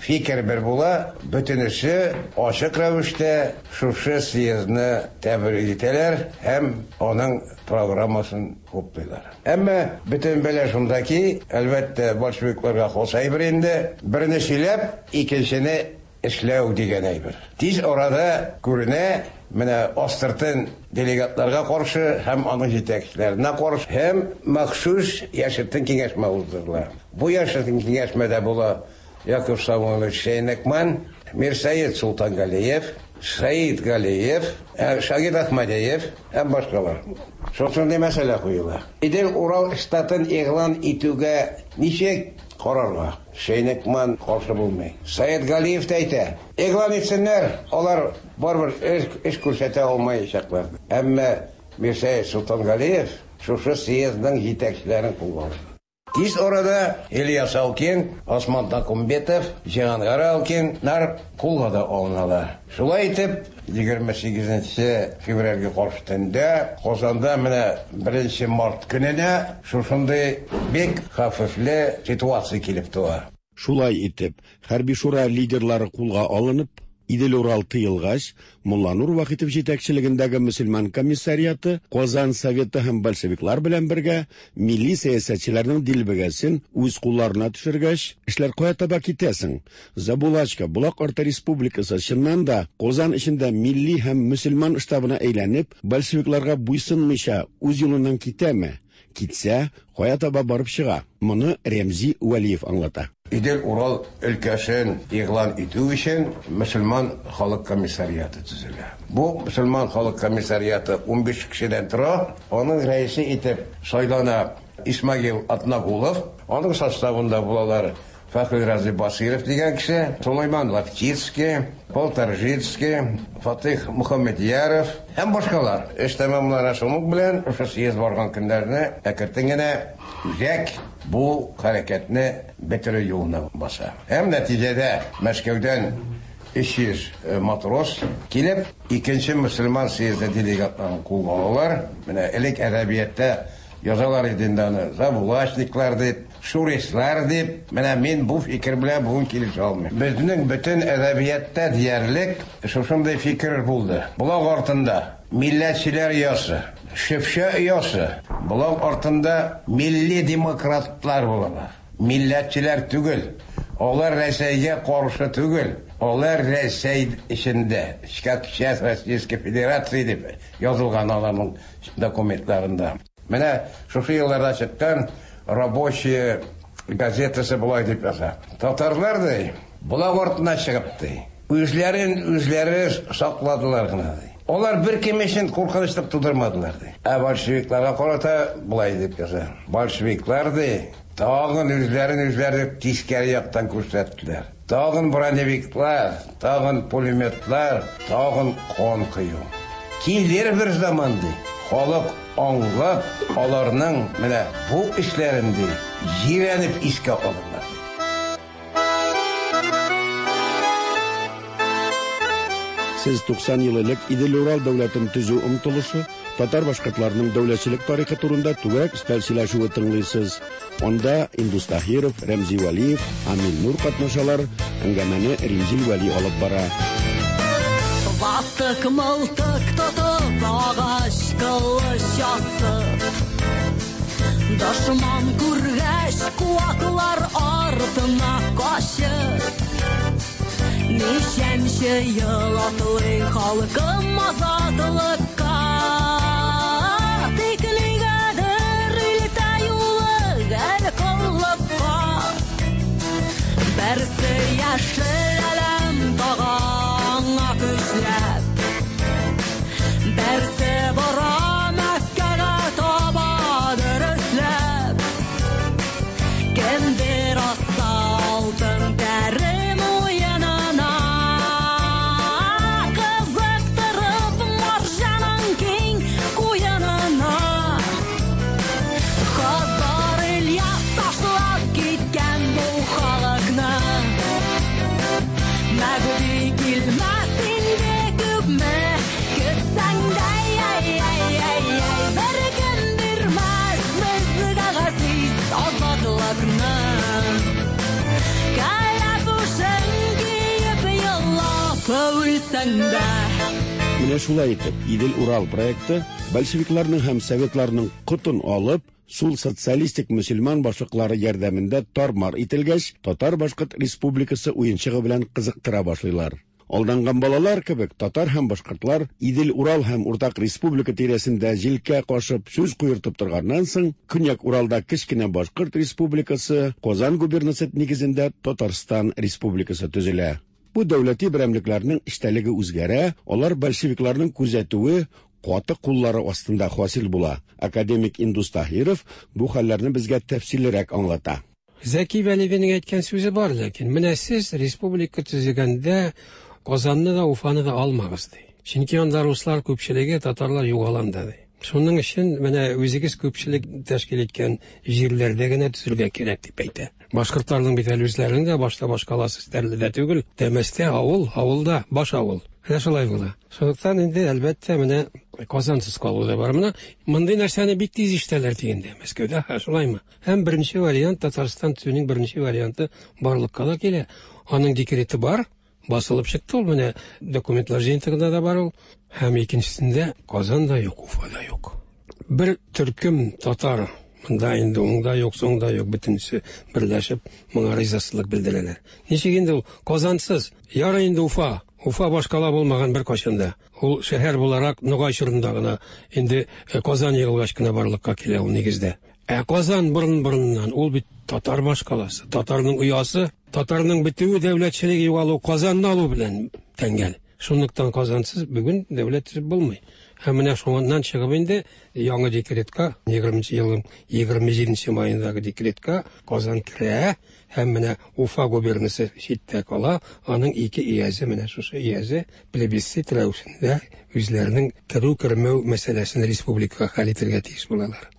фикер бер була, бөтенесе ачык рәвештә шушы съездны тәбрик итәләр һәм аның программасын хуплыйлар. Әмма бөтен бәла шунда ки, әлбәттә, большевикларга хас әйбер инде, берне сөйләп, икенчене эшләү дигән әйбер. Тиз арада күренә, менә астыртын делегатларга каршы һәм аның җитәкчеләренә каршы һәм махсус яшертен киңәшмә уздырыла. Бу яшертен киңәшмәдә була Яков Самойлович Шейнекман, Мирсаид Султангалиев, Саид Галиев, Шагид Ахмадиев һәм башкалар. Шушындый мәсьәлә куела. Идел-Урал штатын игълан итүгә ничек карарга? Шейнекман каршы булмый. Саид Галиев тә әйтә, игълан итсеннәр, алар барыбер эш, эш күрсәтә алмаячаклар. Әмма Мирсаид Султангалиев шушы съездның җитәкчеләрен кулга алды. Тиз арада Ильяс Алкин, Осман Такумбетов, Җиһангар Алкиннар кулга да алыналар. Шулай итеп, егерме сигезенче февральгә каршы төндә Казанда менә беренче март көненә шушындый бик хәвефле ситуация килеп туа. Шулай итеп, хәрби шура лидерлары кулга алынып, Идел-Урал тыелгач, Мулланур Вахитов җитәкчелегендәге мөселман комиссариаты Казан Советы һәм большевиклар белән бергә милли сәясәтчеләрнең дилбегәсен үз кулларына төшергәч, эшләр кая таба китәсең? Забулачка, Болак Арты Республикасы чыннан да Казан эчендә милли һәм мөселман штабына әйләнеп, большевикларга буйсынмыйча үз юлыннан китәме? Китсә, кая таба барып чыга? Моны Рәмзи Вәлиев аңлата. Идел-Урал өлкәсен игълан итү өчен мөселман халык комиссариаты төзелә. Бу мөселман халык комиссариаты унбиш кешедән тора. Аның рәисе итеп сайлана Исмагил Атнагулов. Аның составында булалар Фәхри Рази Басиров дигән кеше, Сулайман Лаптицкий, Полторжицкий, Фатих Мухаммедьяров һәм башкалар. Эш тәмамлана шуның белән, шушы съезд барган көннәрне әкертен генә үзәк бу хәрәкәтне бетерү юлына баса. Һәм нәтиҗәдә Мәскәүдән өч йөз матрос килеп, икенче мөселман съезды делегатларын кулга алалар. Менә элек әдәбиятта язалар иде инде аны, забулачниклар дип, шурислар дип. Менә мин бу фикер белән бүген килешә алмыйм. Безнең бөтен әдәбиятта диярлек шушындый фикер булды. Болак артында милләтчеләр оясы, Шефчә оясы, болак артында милли демократлар булалар. Милләтчеләр түгел, алар Рәсәйгә каршы түгел, алар Рәсәй эчендә, как часть Российской Федерации дип язылган аларның документларында. Менә шушы елларда чыккан Рабочая газетасы болай дип яза. Татарлар ди, болак артына чыгып ди, үзләрен үзләре сакладылар гына ди. Алар бер кем өчен куркынычлык тудырмадылар ди. Ә большевикларга карата болай дип яза. Большевиклар ди, тагын үзләрен үзләре тискәре яктан күрсәттеләр. Тагын броневиклар, тагын пулеметлар, тагын кан кою. Килер бер заман ди, халык аңлап, аларның менә бу эшләрен ди, җирәнеп искә алырлар. Сез туксан ел элек Идел-Урал дәүләтен төзү омтылышы, татар башкортларының дәүләтчелек тарихы турында түгәрәк өстәл сөйләшүе тыңлыйсыз. Анда Индус Таһиров, Рәмзи Вәлиев, Амил Нур катнашалар. Әңгәмәне Римзил Вәли алып бара. Ватык мылтык тотып, агач кылыч асып, дошман күргәч, куаклар артына качып, ничәнче ел атлый халкым азатлыкка. Тик нигәдер илтә юлы гел коллыкка. Берсе яшел әләм тага аңа көчләп, берсе бара Мәккәгә таба дөресләп. Кемдер аста алтын тәрәз Үлсәң дә. Менә шулай итеп, Идел-Урал проекты большевикларның һәм советларның котын алып, сул социалистик мөселман башлыклары ярдәмендә тармар ителгәч, Татар-Башкорт республикасы уенчыгы белән кызыктыра башлыйлар. Алданган балалар кебек татар һәм башкортлар Идел-Урал һәм Уртак республика тирәсендә җилкә кашып сүз куертып торганнан соң, Көньяк Уралда кечкенә Башкорт республикасы, Казан губернасы нигезендә Татарстан республикасы төзелә. Бу дәүләти берәмлекләрнең эчтәлеге үзгәрә, алар большевикларның күзәтүе, каты куллары астында хасил була. Академик Индус Таһиров бу хәлләрне безгә тәфсиллерәк аңлата. Зәки Вәлиевнең әйткән сүзе бар, ләкин менә сез республика төзегәндә Казанны да, Уфаны да алмагыз, ди. Чөнки анда руслар күпчелеге, татарлар югаланда, ди. Шуның өчен менә үзегез күпчелек тәшкил иткән җирләрдә генә төзергә кирәк дип әйтә. Башкортларның бит әле үзләренең дә башта башкаласы Стәрледә түгел, Тәмәстә авыл, авылда баш авыл. Менә шулай була. Шунлыктан инде әлбәттә менә Казансыз калу да бар. Менә мондый нәрсәне бик тиз ишетәләр дигәндә Мәскәүдә, ха, шулаймы? Һәм беренче вариант Татарстан төзүнең беренче варианты барлыкка да килә. Аның декреты бар, басылып чыкты ул, менә документлар җыентыгында да бар ул. Һәм икенчесендә Казан да юк, Уфа да юк. Бер төркем татар монда инде уңда юк, соңда юк, бөтенесе берләшеп моңа ризасызлык белдерәләр. Ничек инде ул Казансыз? Ярый инде Уфа. Уфа башкала булмаган бер кайчан да. Ул шәһәр буларак Ногай чорында гына инде Казан егылгач кына барлыкка килә ул нигездә. Ә Казан борын-борыннан ул бит татар башкаласы, татарның оясы, татарның бетүе, дәүләтчелеге югалу Казанны алу белән тәңгәл. Шунлыктан Казансыз бүген дәүләт төзеп булмый. Һәм менә шуннан чыгып инде яңа декретка, егерменче елның егерме җиденче маендагы декретка Казан керә һәм менә Уфа губернасы читтә кала, аның ике иязе менә шушы иязе плебисцит рәвешендә үзләренең керү-кермәү мәсьәләсен республикага хәл итәргә тиеш булалар.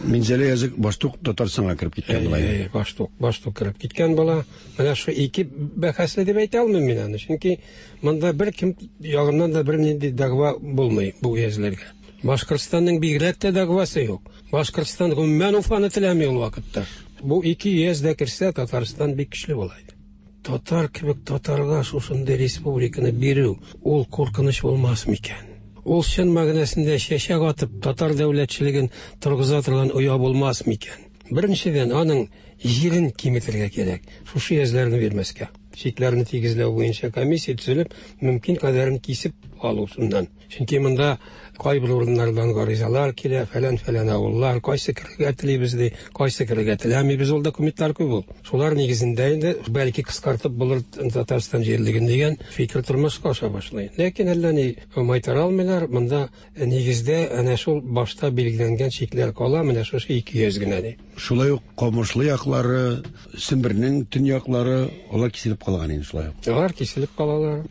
Минзәлә язык баштук Татарстанга кереп киткән була. Әй, баштук, баштук кереп киткән була. Менә шу ике бәхәсле дип әйтә алмыйм мин аны, чөнки монда бер кем ягыннан да бернинди дәгъва булмый бу өязләргә. Башкортстанның бигрәк тә дәгъвасы юк. Башкортстан гомумән Уфаны теләми ул вакытта. Бу ике өяз дә керсә, Татарстан бик көчле була иде. Татар кебек татарга шушындый республиканы бирү ул куркыныч булмас микән? Ул чын мәгънәсендә чәчәк атып татар дәүләтчелеген торгыза торган оя булмас микән? Беренчедән, аның җирен киметергә кирәк, шушы өязләрне бирмәскә. Чикләрне тигезләү буенча комиссия төзелеп, мөмкин кадәрен кисеп алу шуннан. Чөнки монда кайбер урыннардан гаризалар килә, фәлән-фәлән авыллар, кайсы керергә телибез ди, кайсы керергә теләмибез, ул документлар күп ул. Шулар нигезендә инде бәлки кыскартып булыр Татарстан җирлеген дигән фикер тормышка аша башлый. Ләкин әллә ни майтара алмыйлар, монда нигездә әнә шул башта билгеләнгән чикләр кала, менә шушы ике йөз генә ди. Шулай ук Камышлы яклары, Сембернең төньяклары, алар киселеп калган инде шулай ук. Алар киселеп калалар.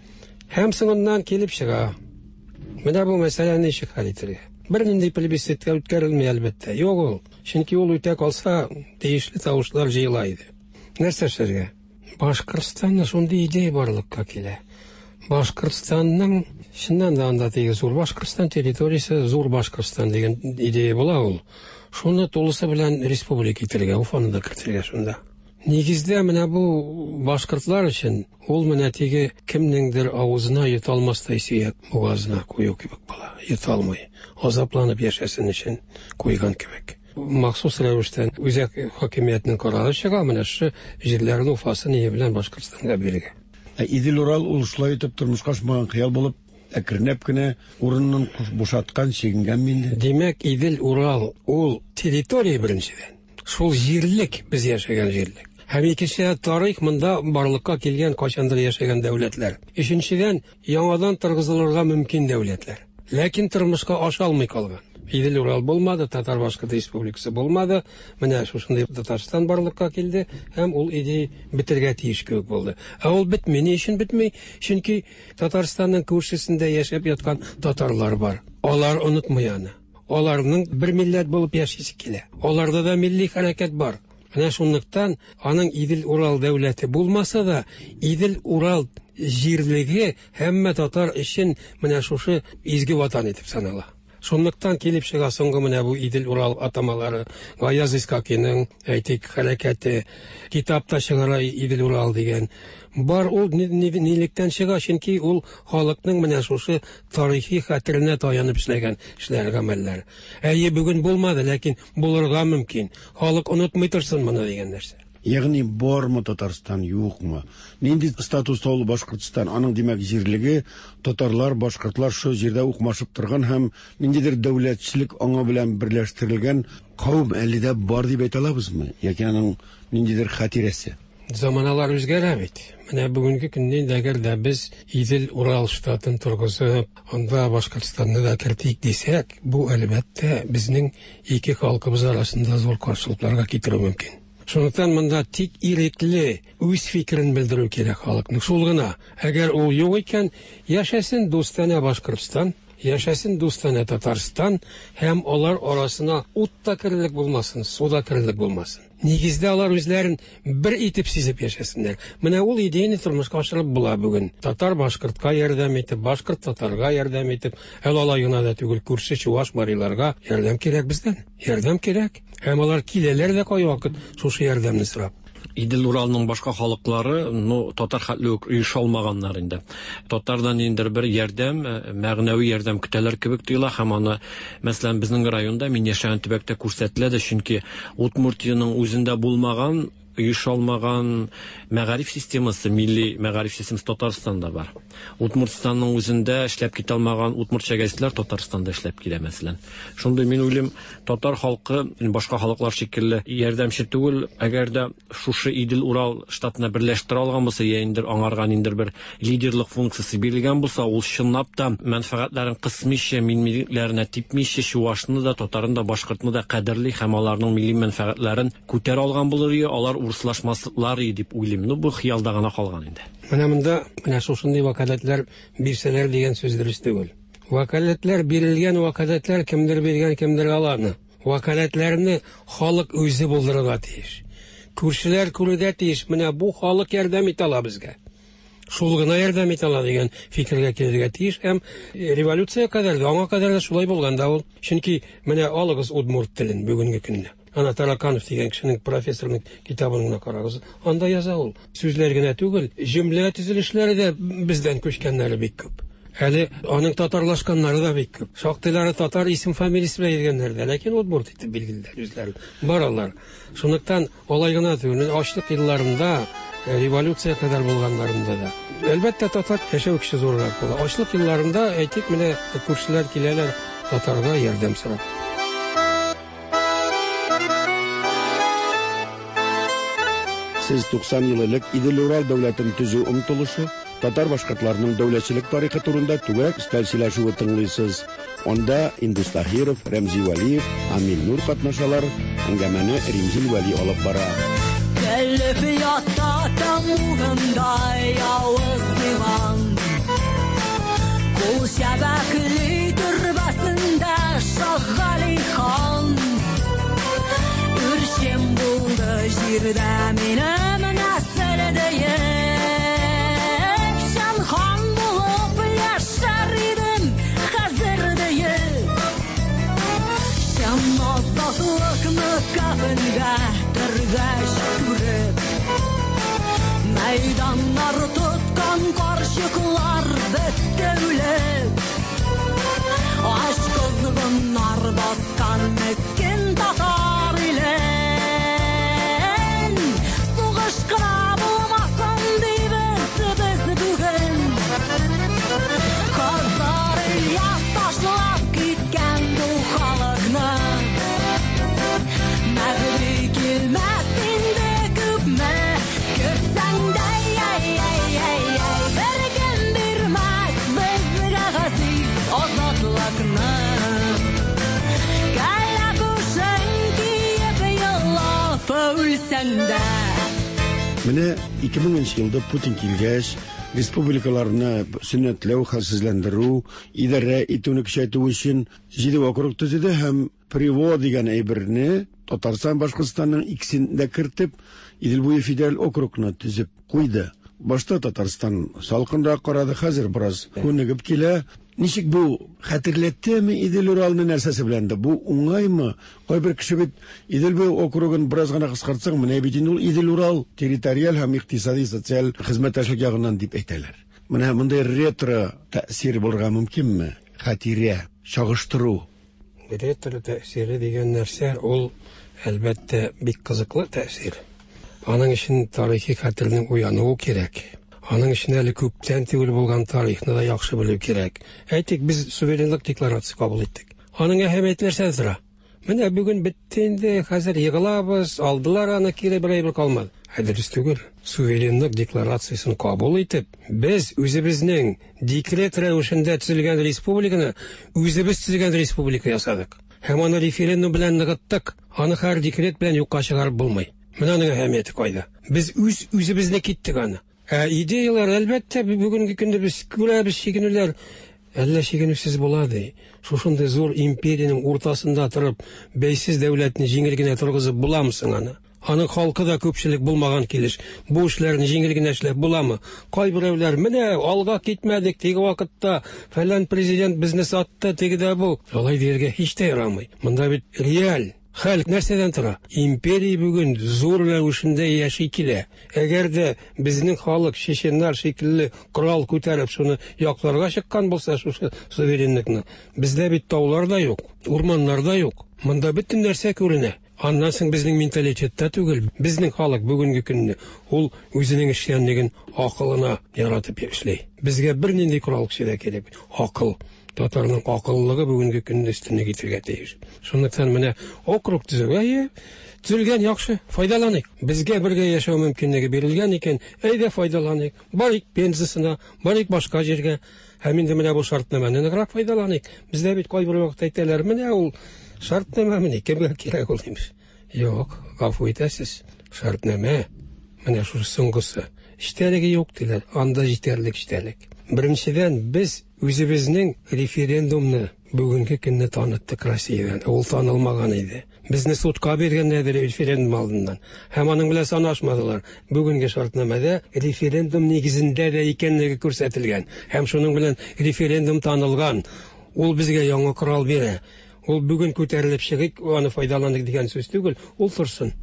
Һәм соңыннан килеп чыга. Менә бу мәсьәләне ничек хәл итәргә? Бернинди плебисцитка үткәрелми әлбәттә. Юк ул. Чөнки ул үтә калса, тиешле тавышлар җыела иде. Нәрсә эшләргә? Башкортстанда шундый идея барлыкка килә. Башкортстанның чыннан да анда теге зур Башкортстан территориясе, зур Башкортстан дигән идея була ул. Шуны тулысы белән республика итәргә, Уфаны да кертергә шунда. Нигездә менә бу башкортлар өчен ул менә теге кемнеңдер авызына йота алмастай сөяк бугазына кую кебек була. Йота алмый. Азапланып яшәсен өчен куйган кебек. Махсус рәвештә үзәк хакимиятнең карары чыга, менә шушы җирләрне Уфасы ние белән Башкортстанга бирергә. Ә Идел-Урал ул шулай итеп тормышка ашмаган хыял булып, әкренләп кенә урынын бушаткан, чигенгән инде. Димәк, Идел-Урал ул территория беренчедән. Шул җирлек, без яшәгән җирлек. Һәм икенчедән, тарих монда барлыкка килгән кайчандыр яшәгән дәүләтләр. Өченчедән, яңадан торгызылырга мөмкин дәүләтләр. Ләкин тормышка аша алмый калган. Идел-Урал булмады, Татар-Башкорт республикасы булмады. Менә шушындый Татарстан барлыкка килде һәм ул идея бетергә тиеш кебек булды. Ә ул бетми. Ни өчен бетми? Чөнки Татарстанның күршесендә яшәп яткан татарлар бар. Алар онытмый аны. Аларның бер милләт булып яшисе килә. Аларда да милли хәрәкәт бар. Менә шунлыктан аның Идел-Урал дәүләте булмаса да, Идел-Урал җирлеге һәммә татар өчен менә шушы изге ватан итеп санала. Шунлыктан килеп чыга соңгы менә бу Идел-Урал атамалары. Гаяз Исхакиның, әйтик, хәрәкәте, китапта чыгара Идел-Урал дигән. Бар ул нилектән чыга, чөнки ул халыкның менә шушы тарихи хәтеренә таянып эшләгән эшләр, гамәлләр. Әйе, бүген булмады, ләкин булырга мөмкин. Халык онытмый торсын моны дигән нәрсә. Ягъни бармы Татарстан, юкмы? Нинди статуста ул Башкортстан? Аның димәк җирлеге татарлар, башкортлар шул җирдә укмашып торган һәм ниндидер дәүләтчелек аңа белән берләштерелгән кавым әле дә бар дип әйтә алабызмы? Яки аның ниндидер хатирәсе? Заманалар үзгәрә бит. Менә бүгенге көндә инде әгәр дә без Идел-Урал штатын торгызып, анда Башкортстанны да кертик дисәк, бу әлбәттә безнең ике халкыбыз арасында зур каршылыкларга китерү мөмкин. Шунлыктан монда тик ирекле үз фикерен белдерү кирәк халыкның. Шул гына. Әгәр ул юк икән, яшәсен дустанә Башкортстан, яшәсен дустанә Татарстан, һәм алар арасына ут та керерлек булмасын, су да керерлек булмасын. Нигездә алар үзләрен бер итеп сизеп яшәсеннәр. Менә ул идеяны тормышка ашырып була бүген. Татар башкортка ярдәм итеп, башкорт татарга ярдәм итеп, әле алай гына да түгел, күрше чуваш мариларга ярдәм кирәк бездән. Ярдәм кирәк. Һәм алар киләләр дә кайвакыт шушы ярдәмне сорап. Идел-Уралның башка халыклары, ну, татар хәтле үк оеша алмаганнар инде. Татардан инде бер ярдәм, мәгънәви ярдәм көтәләр кебек тоела һәм аны, мәсәлән, безнең районда, мин яшәгән төбәктә күрсәтелә дә, чөнки Удмуртиянең үзендә булмаган, оеша алмаган мәгариф системасы, милли мәгариф системасы Татарстанда бар. Удмуртстанның үзендә эшләп китә алмаган удмуртча гәзитләр Татарстанда эшләп килә, мәсәлән. Шундый мин уйлыйм, татар халкы башка халыклар шикелле ярдәмче түгел, әгәр дә шушы Идел-Урал штатына берләштерә алган булса, я инде аңарга ниндидер бер лидерлык функциясе бирелгән булса, ул чынлап та мәнфәгатьләрен кысмыйча, миллиләренә типмичә, чувашны да, татарны да, башкортны да кадерли һәм аларның милли мәнфәгатьләрен күтәрә алган булыр иде, алар урыслашмаслар иде дип уйлыйм. Ну, бу хыялда гына калган инде. Менә монда менә шушындый вәкаләтләр бирсәләр дигән сүз дөрес түгел. Вәкаләтләр бирелгән, вәкаләтләр кемдер биргән, кемдер аланы. Вәкаләтләрне халык үзе булдырырга тиеш. Күршеләр күрергә тиеш. Менә бу халык ярдәм итә ала безгә. Шул гына ярдәм итә ала дигән фикергә килергә тиеш. Һәм революция кадәр дә, аңа кадәр дә шулай булган да ул. Чөнки менә алыгыз удмурт телен бүгенге көндә. Ана Тараканов дигән кешенең, профессорның китабын гына карагыз. Анда яза ул. Сүзләр генә түгел, җөмлә төзелешләре дә бездән күчкәннәре бик күп. Әле аның татарлашканнары да бик күп. Шактыйлары татар исем фамилиясе белән йөргәннәр дә, ләкин удмурт итеп билгелиләр үзләрен. Бар алар. Шунлыктан алай гына түгел, ачлык елларында, революция кадәр булганнарында да. Әлбәттә, татар яшәү көче зуррак була. Ачлык елларында, әйтик, менә күршеләр киләләр татарга ярдәм сорап. Сез туксан ел элек Идел-Урал дәүләтен төзү омтылышы, татар башкортларының дәүләтчелек тарихы турында түгәрәк өстәл сөйләшүе тыңлыйсыз. Анда Индус Таһиров, Рәмзи Вәлиев, Амил Нур катнашалар. Әңгәмәне Римзил Вәли алып бара. Көлеп ята тәмугында явыз диван, кул чәбәкли төрбәсендә Шаһгали хан. Үрчем булды җирдә минем нәсел диеп, чын хан булып яшәр идем хәзер диеп. Чын азатлыкны кафенгә төргәч күреп, мәйданнар тоткан карчыклар бетте үлеп. Ач кызгыннар баскан мескен татар илен. Сугыш кына булмасын дибез без бүген. Хазар Ильяс ташлап киткән бу халыкны. Мәһди килмәс инде күпме көтсәң дә, әй-әй-әй, беркем бирмәс безгә газиз азатлыкны. Кәләпүшең киеп елап үлсәң дә. Менә ике меңенче елда Путин килгәч, республикаларны сөннәтләү, хәлсезләндерү, идарә итүне көчәйтү өчен җиде округ төзеде һәм Приво дигән әйберне Татарстан, Башкортстанның икесен дә кертеп, Идел буе федераль округны төзеп куйды. Башта Татарстан салкынрак карады, хәзер бераз күнегеп килә. Ничек бу хәтерләттеме Идел-Уралны нәрсәсе белән дә? Бу уңаймы? Кайбер кеше бит Идел буе округын бераз гына кыскартсаң, менә бит инде ул Идел-Урал территориаль һәм икътисади социаль хезмәттәшлек ягыннан дип әйтәләр. Менә мондай ретро тәэсир булырга мөмкинме? Хатирә, чагыштыру. Ретро тәэсире дигән нәрсә ул әлбәттә бик кызыклы тәэсир. Аның өчен тарихи хәтернең уянуы кирәк. Аның өчен әле күптән түгел булган тарихны да яхшы белү кирәк. Әйтик, без суверенлык декларациясе кабул иттек. Аның әһәмияте нәрсәдә тора? Менә бүген бетте инде, хәзер егылабыз, алдылар аны, кире бер әйбер калмады. Ә дөрес түгел. Суверенлык декларациясен кабул итеп, без үзебезнең декрет рәвешендә төзелгән республиканы үзебез төзегән республика ясадык. Һәм аны референдум белән ныгыттык. Аны һәр декрет белән юкка чыгарып булмый. Менә аның әһәмияте кайда? Без үз үзебезне киттек аны. Ә идеялар, әлбәттә, бүгенге көндә без күрәбез чигенүләр. Әллә чигенүсез була ди. Шушындый зур империянең уртасында торып, бәйсез дәүләтне җиңел генә торгызып буламы соң аны? Аның халкы да күпчелек булмаган килеш. Бу эшләрне җиңел генә эшләп буламы? Кайберәүләр, менә алга китмәдек, теге вакытта фәлән президент безне сатты, теге дә бу. Алай дияргә һич тә ярамый. Монда бит реаль хәл нәрсәдән тора? Империя бүген зур рәвешендә яши килә. Әгәр дә безнең халык чеченнар шикелле корал күтәреп шуны якларга чыккан булса, шушы суверенлыкны, бездә бит таулар да юк, урманнар да юк. Монда бөтен нәрсә күренә. Аннан соң безнең менталитетта түгел. Безнең халык бүгенге көнне ул үзенең эшчәнлеген акылына яратып эшли. Безгә бернинди корал көче дә кирәк. Акыл. Татарның акыллылыгы бүгенге көндә өстенлек итәргә тиеш. Шунлыктан менә округ төзү, әйе, төзелгән яхшы, файдаланыйк. Безгә бергә яшәү мөмкинлеге бирелгән икән, әйдә файдаланыйк. Барыйк Пензасына, барыйк башка җиргә. Һәм инде менә бу шартнамәне ныграк файдаланыйк. Бездә бит кайбер вакытта әйтәләр, менә ул шартнамә кемгә кирәк ул имеш. Юк, гафу итәсез. Шартнамә менә шушы соңгысы. Эчтәлеге юк диләр, анда җитәрлек эчтәлек. Беренчедән, без үзебезнең референдумны бүгенге көнне таныттык Россиядән. Ул танылмаган иде. Безне судка биргәннәр референдум алдыннан. Һәм аның белән санашмадылар. Бүгенге шартнамәдә референдум нигезендә дә икәнлеге күрсәтелгән. Һәм шуның белән референдум танылган. Ул безгә яңа корал бирә. Ул бүген күтәрелеп чыгыйк, аны файдаланыйк дигән сүз түгел, ул торсын.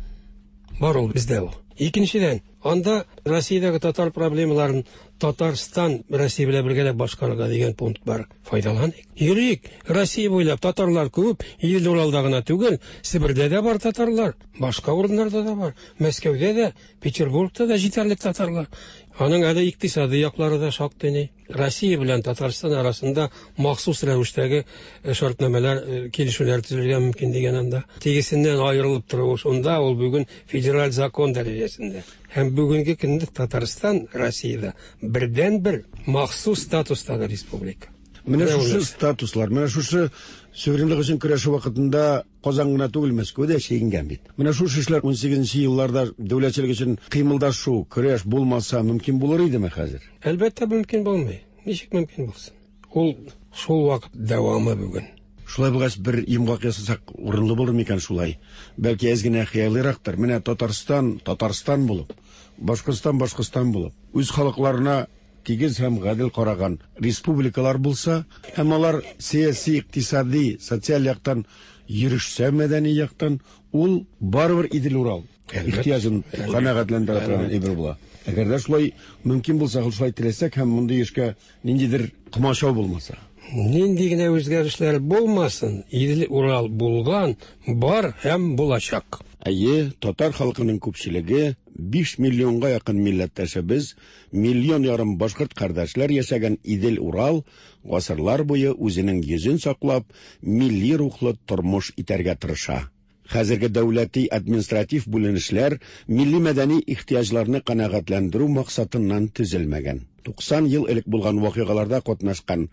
Бар ул бездә ул. Икенчедән, анда Россиядәге татар проблемаларын Татарстан Россия белән бергәләп башкарырга дигән пункт бар. Файдаланыйк. Йөрик. Россия буйлап татарлар күп, Идел Уралда гына түгел, Себердә дә бар татарлар, башка урыннарда да бар. Мәскәүдә дә, Петербургта да җитәрлек татарлар. Аның әле икътисади яклары да шактый ни. Россия белән Татарстан арасында махсус рәвештәге шартнамәләр, килешүләр төзелергә мөмкин дигән анда. Тегесеннән аерылып торуы шунда, ул бүген федераль закон дәрәҗәсендә. Һәм бүгенге көндә Татарстан Россиядә бердән-бер махсус статустагы республика. Менә шушы статуслар, менә шушы суверенлык өчен көрәшү вакытында Казан гына түгел, Мәскәү дә чигенгән бит. Менә шушы эшләр унсигезенче елларда дәүләтчелек өчен кыймылдашу, көрәш булмаса мөмкин булыр идеме хәзер? Әлбәттә мөмкин булмый. Ничек мөмкин булсын? Ул шул вакыт дәвамы бүген. Шулай булгач, бер йомгак ясасак урынлы булыр микән шулай? Бәлки әз генә хыялыйрактыр. Менә Татарстан, Татарстан булып, Башкортстан, Башкортстан булып, үз халыкларына тигез һәм гадел караган республикалар булса, һәм алар сәяси, икътисади, социаль яктан йөрешсә, мәдәни яктан, ул барыбер Идел-Урал ихтыяҗын канәгатьләндерә торган әйбер була. Әгәр дә шулай мөмкин булса, шулай теләсәк һәм мондый эшкә ниндидер комачау булмаса. Нинди генә үзгәрешләр булмасын, Идел-Урал булган, бар һәм булачак. Әйе, татар халкының күпчелеге биш миллионга якын милләттәшебез, миллион ярым башкорт кардәшләр яшәгән Идел-Урал гасырлар буе үзенең йөзен саклап, милли рухлы тормыш итәргә тырыша. Хәзерге дәүләти административ бүленешләр милли мәдәни ихтыяҗларны канәгатьләндерү максатыннан төзелмәгән. Туксан ел элек булган вакыйгаларда катнашкан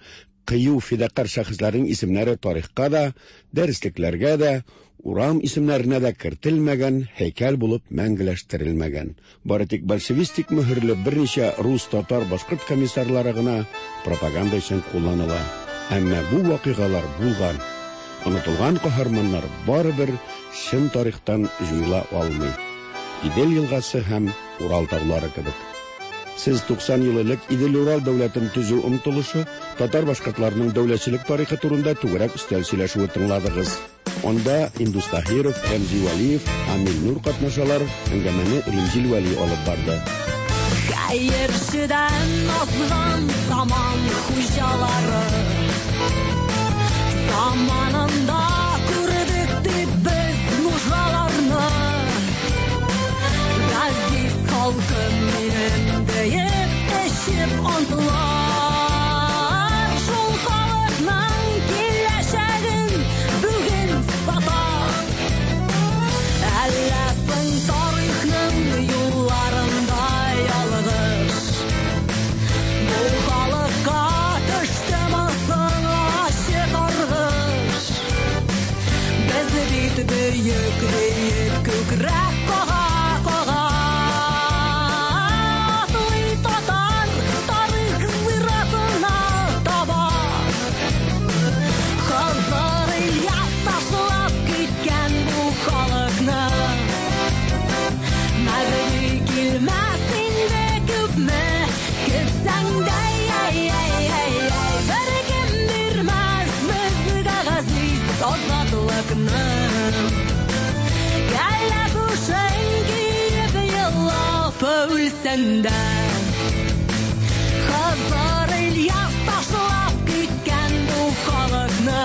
кыю фидакар шәхесләрнең исемнәре тарихка да, дәреслекләргә дә, урам исемнәренә дә кертелмәгән, һәйкәл булып мәңгеләштерелмәгән. Бары тик большевистик мөһерле берничә рус, татар, башкорт комиссарлары гына пропаганда өчен кулланыла. Әмма бу вакыйгалар булган. Онытылган каһарманнар барыбер чын тарихтан җуела алмый. Идел елгасы һәм Урал таулары кебек. Сез туксан ел элек Идел-Урал дәүләтен төзү омтылышы, татар-башкортларының дәүләтчелек тарихы турында түгәрәк өстәл сөйләшүе тыңладыгыз. Анда Индус Таһиров, Рәмзи Вәлиев, Амил Нур катнашалар, әңгәмәне Римзил Вәли алып барды. Хәерчедән азган заман хуҗалары, заманында күрдек дип без нужаларны. Газиз халкым минем диеп эчеп антлар, шул халыкның киләчәген бүген сата. Әллә соң тарихның юлларында ялгыш, бу халыкка төштеме соң ачы каргыш? Без бит бөек диеп күкрәк кага-кага, атлый татар тарих зиратына таба. Хазар Ильяс ташлап киткән бу халыкны, Мәгъни килмәс инде күпме көтсәң дә, беркем бирмәс безгә газиз азатлыкны. Кәләпүшен киеп елап үлсәң дә, Хазар Ильяс ташлап киткән бу халыкны,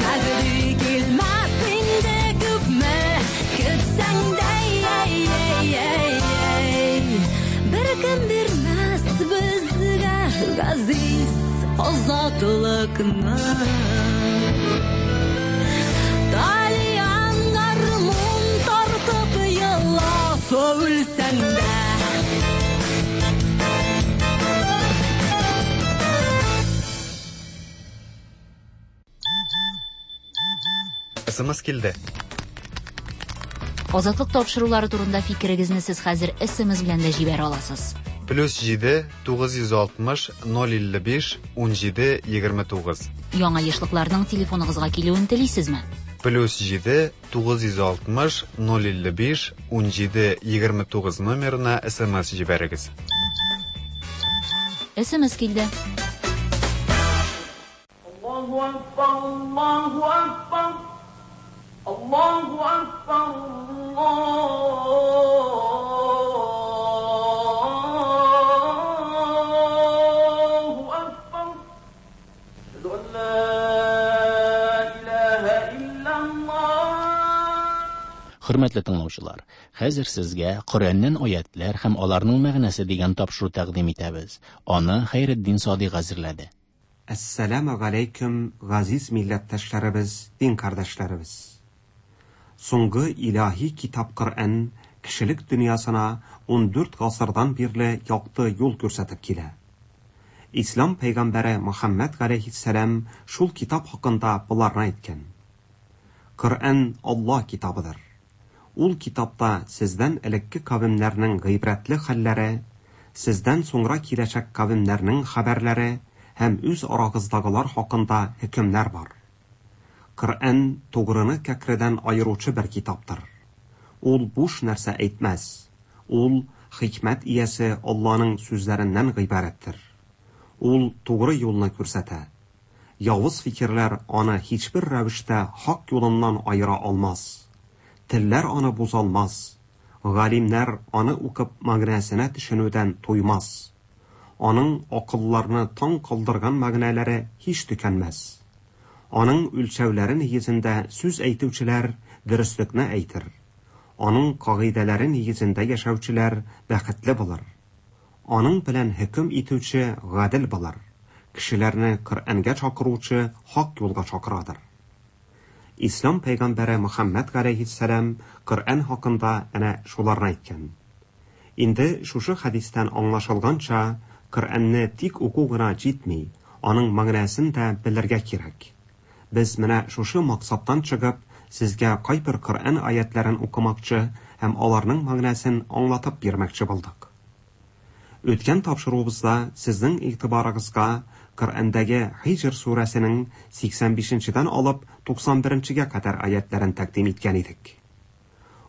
Мәгъни килмәс инде күпме көтсәң дә, беркем бирмәс безгә газиз азатлыкны. Тальян гармун тартып елап үлсәң дә. СМС килде. Азатлык тапшырулары турында фикерегезне сез хәзер СМС белән дә җибәрә аласыз. Плюс җиде, тугыз йөз алтмыш, ноль илле биш, ун җиде, егерме тугыз. Яңа ешлыкларның телефоныгызга килүен телисезме? Плюс җиде, тугыз йөз алтмыш, ноль илле биш, ун җиде, егерме тугыз номерына СМС җибәрегез. СМС килде. Аллаһу акбар, Аллаһу акбар, Аллаһу акбар, Аллаһу акбар. Әшһәду ан ла илаһа иллаллаһ. Хөрмәтле тыңлаучылар, хәзер сезгә Коръәннән аятлар һәм аларның мәгънәсе дигән тапшыру тәкъдим итәбез. Аны Хәйретдин Садыйк әзерләде. Әссәламу галәйкүм, газиз милләттәшләребез, дин кардәшләребез. Соңгы илаһи китап Коръән кешелек дөньясына ун дүрт гасырдан бирле якты юл күрсәтеп килә. Ислам пәйгамбәре Мөхәммәд галәйһиссәлам шул китап хакында боларны әйткән. Коръән Аллаһ китабыдыр. Ул китапта сездән элекке кавемнәрнең гыйбрәтле хәлләре, сездән соңра киләчәк кавемнәрнең хәбәрләре һәм үз арагыздагылар хакында хөкемнәр бар. Коръән тугрыны кәкредән аеручы бер китаптыр. Ул буш нәрсә әйтмәс. Ул хикмәт иясе Аллаһның сүзләреннән гыйбарәттер. Ул тугры юлны күрсәтә. Явыз фикерләр аны һичбер рәвештә хак юлыннан аера алмас. Телләр аны бузалмас. Галимнәр аны укып мәгънәсенә төшенүдән туймас. Аның акылларны таң калдырган мәгънәләре һич төкәнмәс. Аның үлчәүләре нигезендә сүз әйтүчеләр дөреслекне әйтер. Аның кагыйдәләре нигезендә яшәүчеләр бәхетле булыр. Аның белән хөкем итүче гадел булыр. Кешеләрне Коръәнгә чакыручы хак юлга чакырадыр. Ислам пәйгамбәре Мөхәммәд галәйһиссәлам Коръән хакында әнә шуларны әйткән. Инде шушы хәдистән аңлашылганча, Коръәнне тик уку гына җитми, аның мәгънәсен дә белергә кирәк. Без менә шушы максаттан чыгып, сезгә кайбер Коръән аятларын укымакчы һәм аларның мәгънәсен аңлатып бирмәкче булдык. Үткән тапшыруыбызда сезнең игътибарыгызга Коръәндәге Һиҗр сүрәсенең сиксән бишенчедән алып туксан беренчегә кадәр аятларын тәкъдим иткән идек.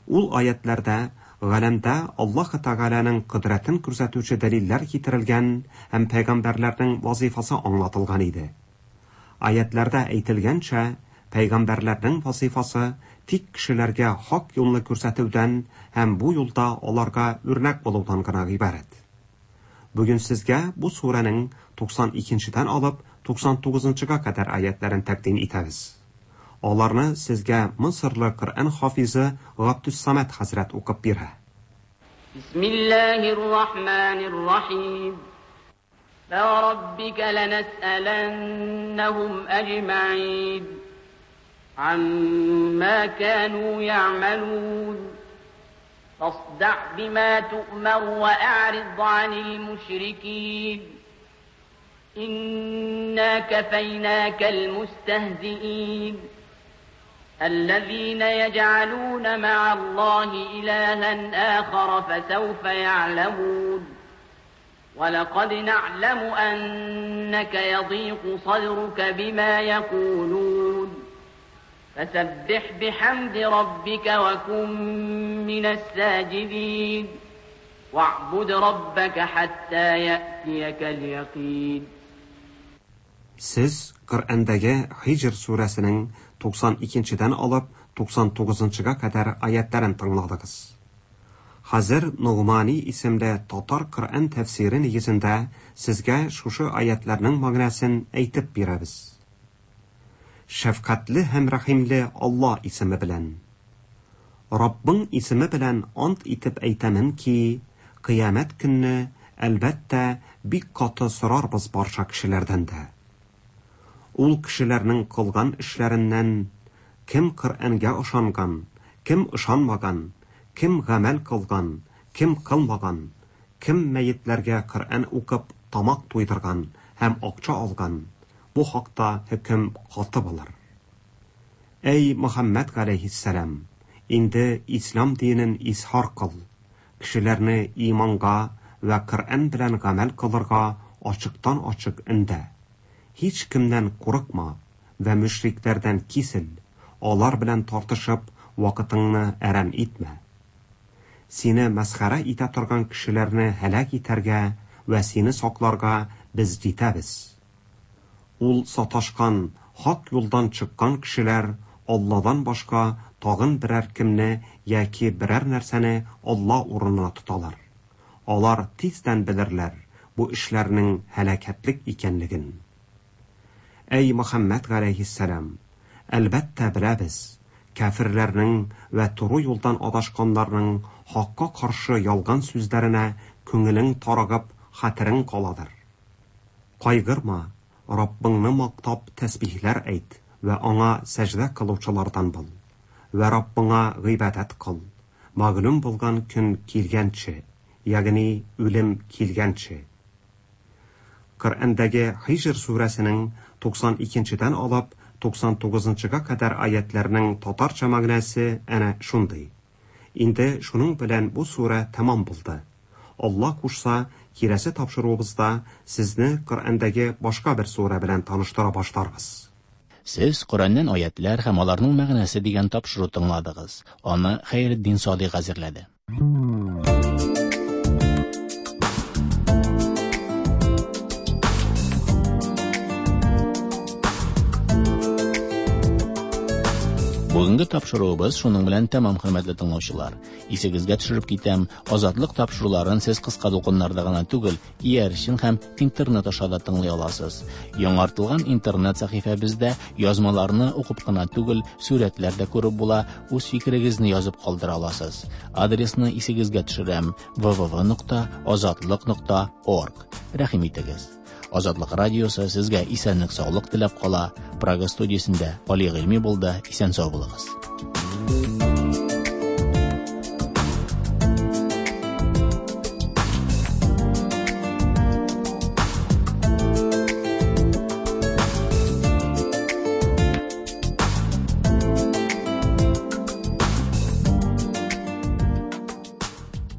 Ул аятларда Галәмдә Аллаһ Тәгаләнең кодрәтен күрсәтүче дәлилләр китерелгән һәм пәйгамбәрләрнең вазифасы аңлатылган иде. Аятларда әйтелгәнчә, пәйгамбәрләрнең вазифасы тик кешеләргә хак юлны күрсәтүдән һәм бу юлда аларга үрнәк булудан гына гыйбарәт. Бүген сезгә бу сүрәнең туксан икенчедән алып туксан тугызынчыга кадәр аятларын тәкъдим итәбез. Аларны сезгә Мисырлы Коръән хафизы Габдус-Самад хәзрәт укып бирә. Бисмиллаһир рахманир рахим. Фәраббика ланас'аланнахум аҗмаин амма кану я'малун. Фасда' бима ту'мар ва a'rid 'анил мушрикин. إنا كفيناك المستهزئين الذين يجعلون مع الله إلها آخر فسوف يعلمون ولقد نعلم أنك يضيق صدرك بما يقولون فسبح بحمد ربك وكن من الساجدين واعبد ربك حتى يأتيك اليقين. Сез Коръәндәге Һиҗр сүрәсенең туксан икенчедән алып туксан тугызынчыга кадәр аятларын тыңладыгыз. Хәзер Нугмани исемле татар Коръән тәфсире нигезендә сезгә шушы аятларның мәгънәсен әйтеп бирәбез. Шәфкатьле һәм рәхимле Алла исеме белән. Раббың исеме белән ант итеп әйтәмен ки, кыямәт көнне әлбәттә бик каты сорарбыз барча кешеләрдән дә. Ул кешеләрнең кылган эшләреннән кем Коръәнгә ышанган, кем ышанмаган, кем гамәл кылган, кем кылмаган, кем мәетләргә Коръән укып тамак туйдырган һәм акча алган, бу хакта хөкем каты булыр. Әй Мөхәммәд галәйһиссәлам, инде ислам динен изһар кыл, кешеләрне иманга ва Коръән белән гамәл кылырга ачыктан ачык өндә. Һич кемнән курыкма вә мөшрикләрдән кисел, алар белән тартышып вакытыңны әрәм итмә. Сине мәсхәрә итә торган кешеләрне һәлак итәргә вә сине сакларга без җитәбез. Ул саташкан, хак юлдан чыккан кешеләр Алладан башка тагын берәр кемне яки берәр нәрсәне Алла урынына тоталар. Алар тиздән белерләр бу эшләрнең һәлакәтлек икәнлеген. Әй Мөхәммәд галәйһиссәлам, әлбәттә беләбез, кәфирләрнең вә туры юлдан адашканнарның хакка каршы ялган сүзләренә күңелең тарыгып, хәтерең каладыр. Кайгырма, Раббыңны мактап тәсбихләр әйт вә аңа сәҗдә кылучылардан бул. Вә Раббыңа гыйбадәт кыл. Мәгълүм булган көн килгәнче, ягъни үлем килгәнче. Коръәндәге Һиҗр сүрәсенең туксан икенчедән алып туксан тугызынчыга кадәр аятларның татарча мәгънәсе әнә шундый. Инде шуның белән бу сүрә тәмам булды. Алла кушса, киләсе тапшыруыбызда сезне Коръәндәге башка бер сүрә белән таныштыра башларбыз. Сез Коръәннән аятлар һәм аларның мәгънәсе дигән тапшыру тыңладыгыз. Аны Хәйретдин Садыйк әзерләде. Бүгенге тапшыруыбыз шуның белән тәмам, хөрмәтле тыңлаучылар. Исегезгә төшереп китәм, Азатлык тапшыруларын сез кыска дулкыннарда гына түгел, иярчен һәм интернет аша да тыңлый аласыз. Яңартылган интернет сәхифәбездә язмаларны укып кына түгел, сүрәтләр дә күреп була, үз фикерегезне язып калдыра аласыз. Адресны исегезгә төшерәм: вэ вэ вэ нокта азатлык нокта орг. Рәхим итегез. Азатлык радиосы сезгә исәнлек, саулык теләп кала. Прага студиясендә Али Гыйльми булды. Исән сау булыгыз.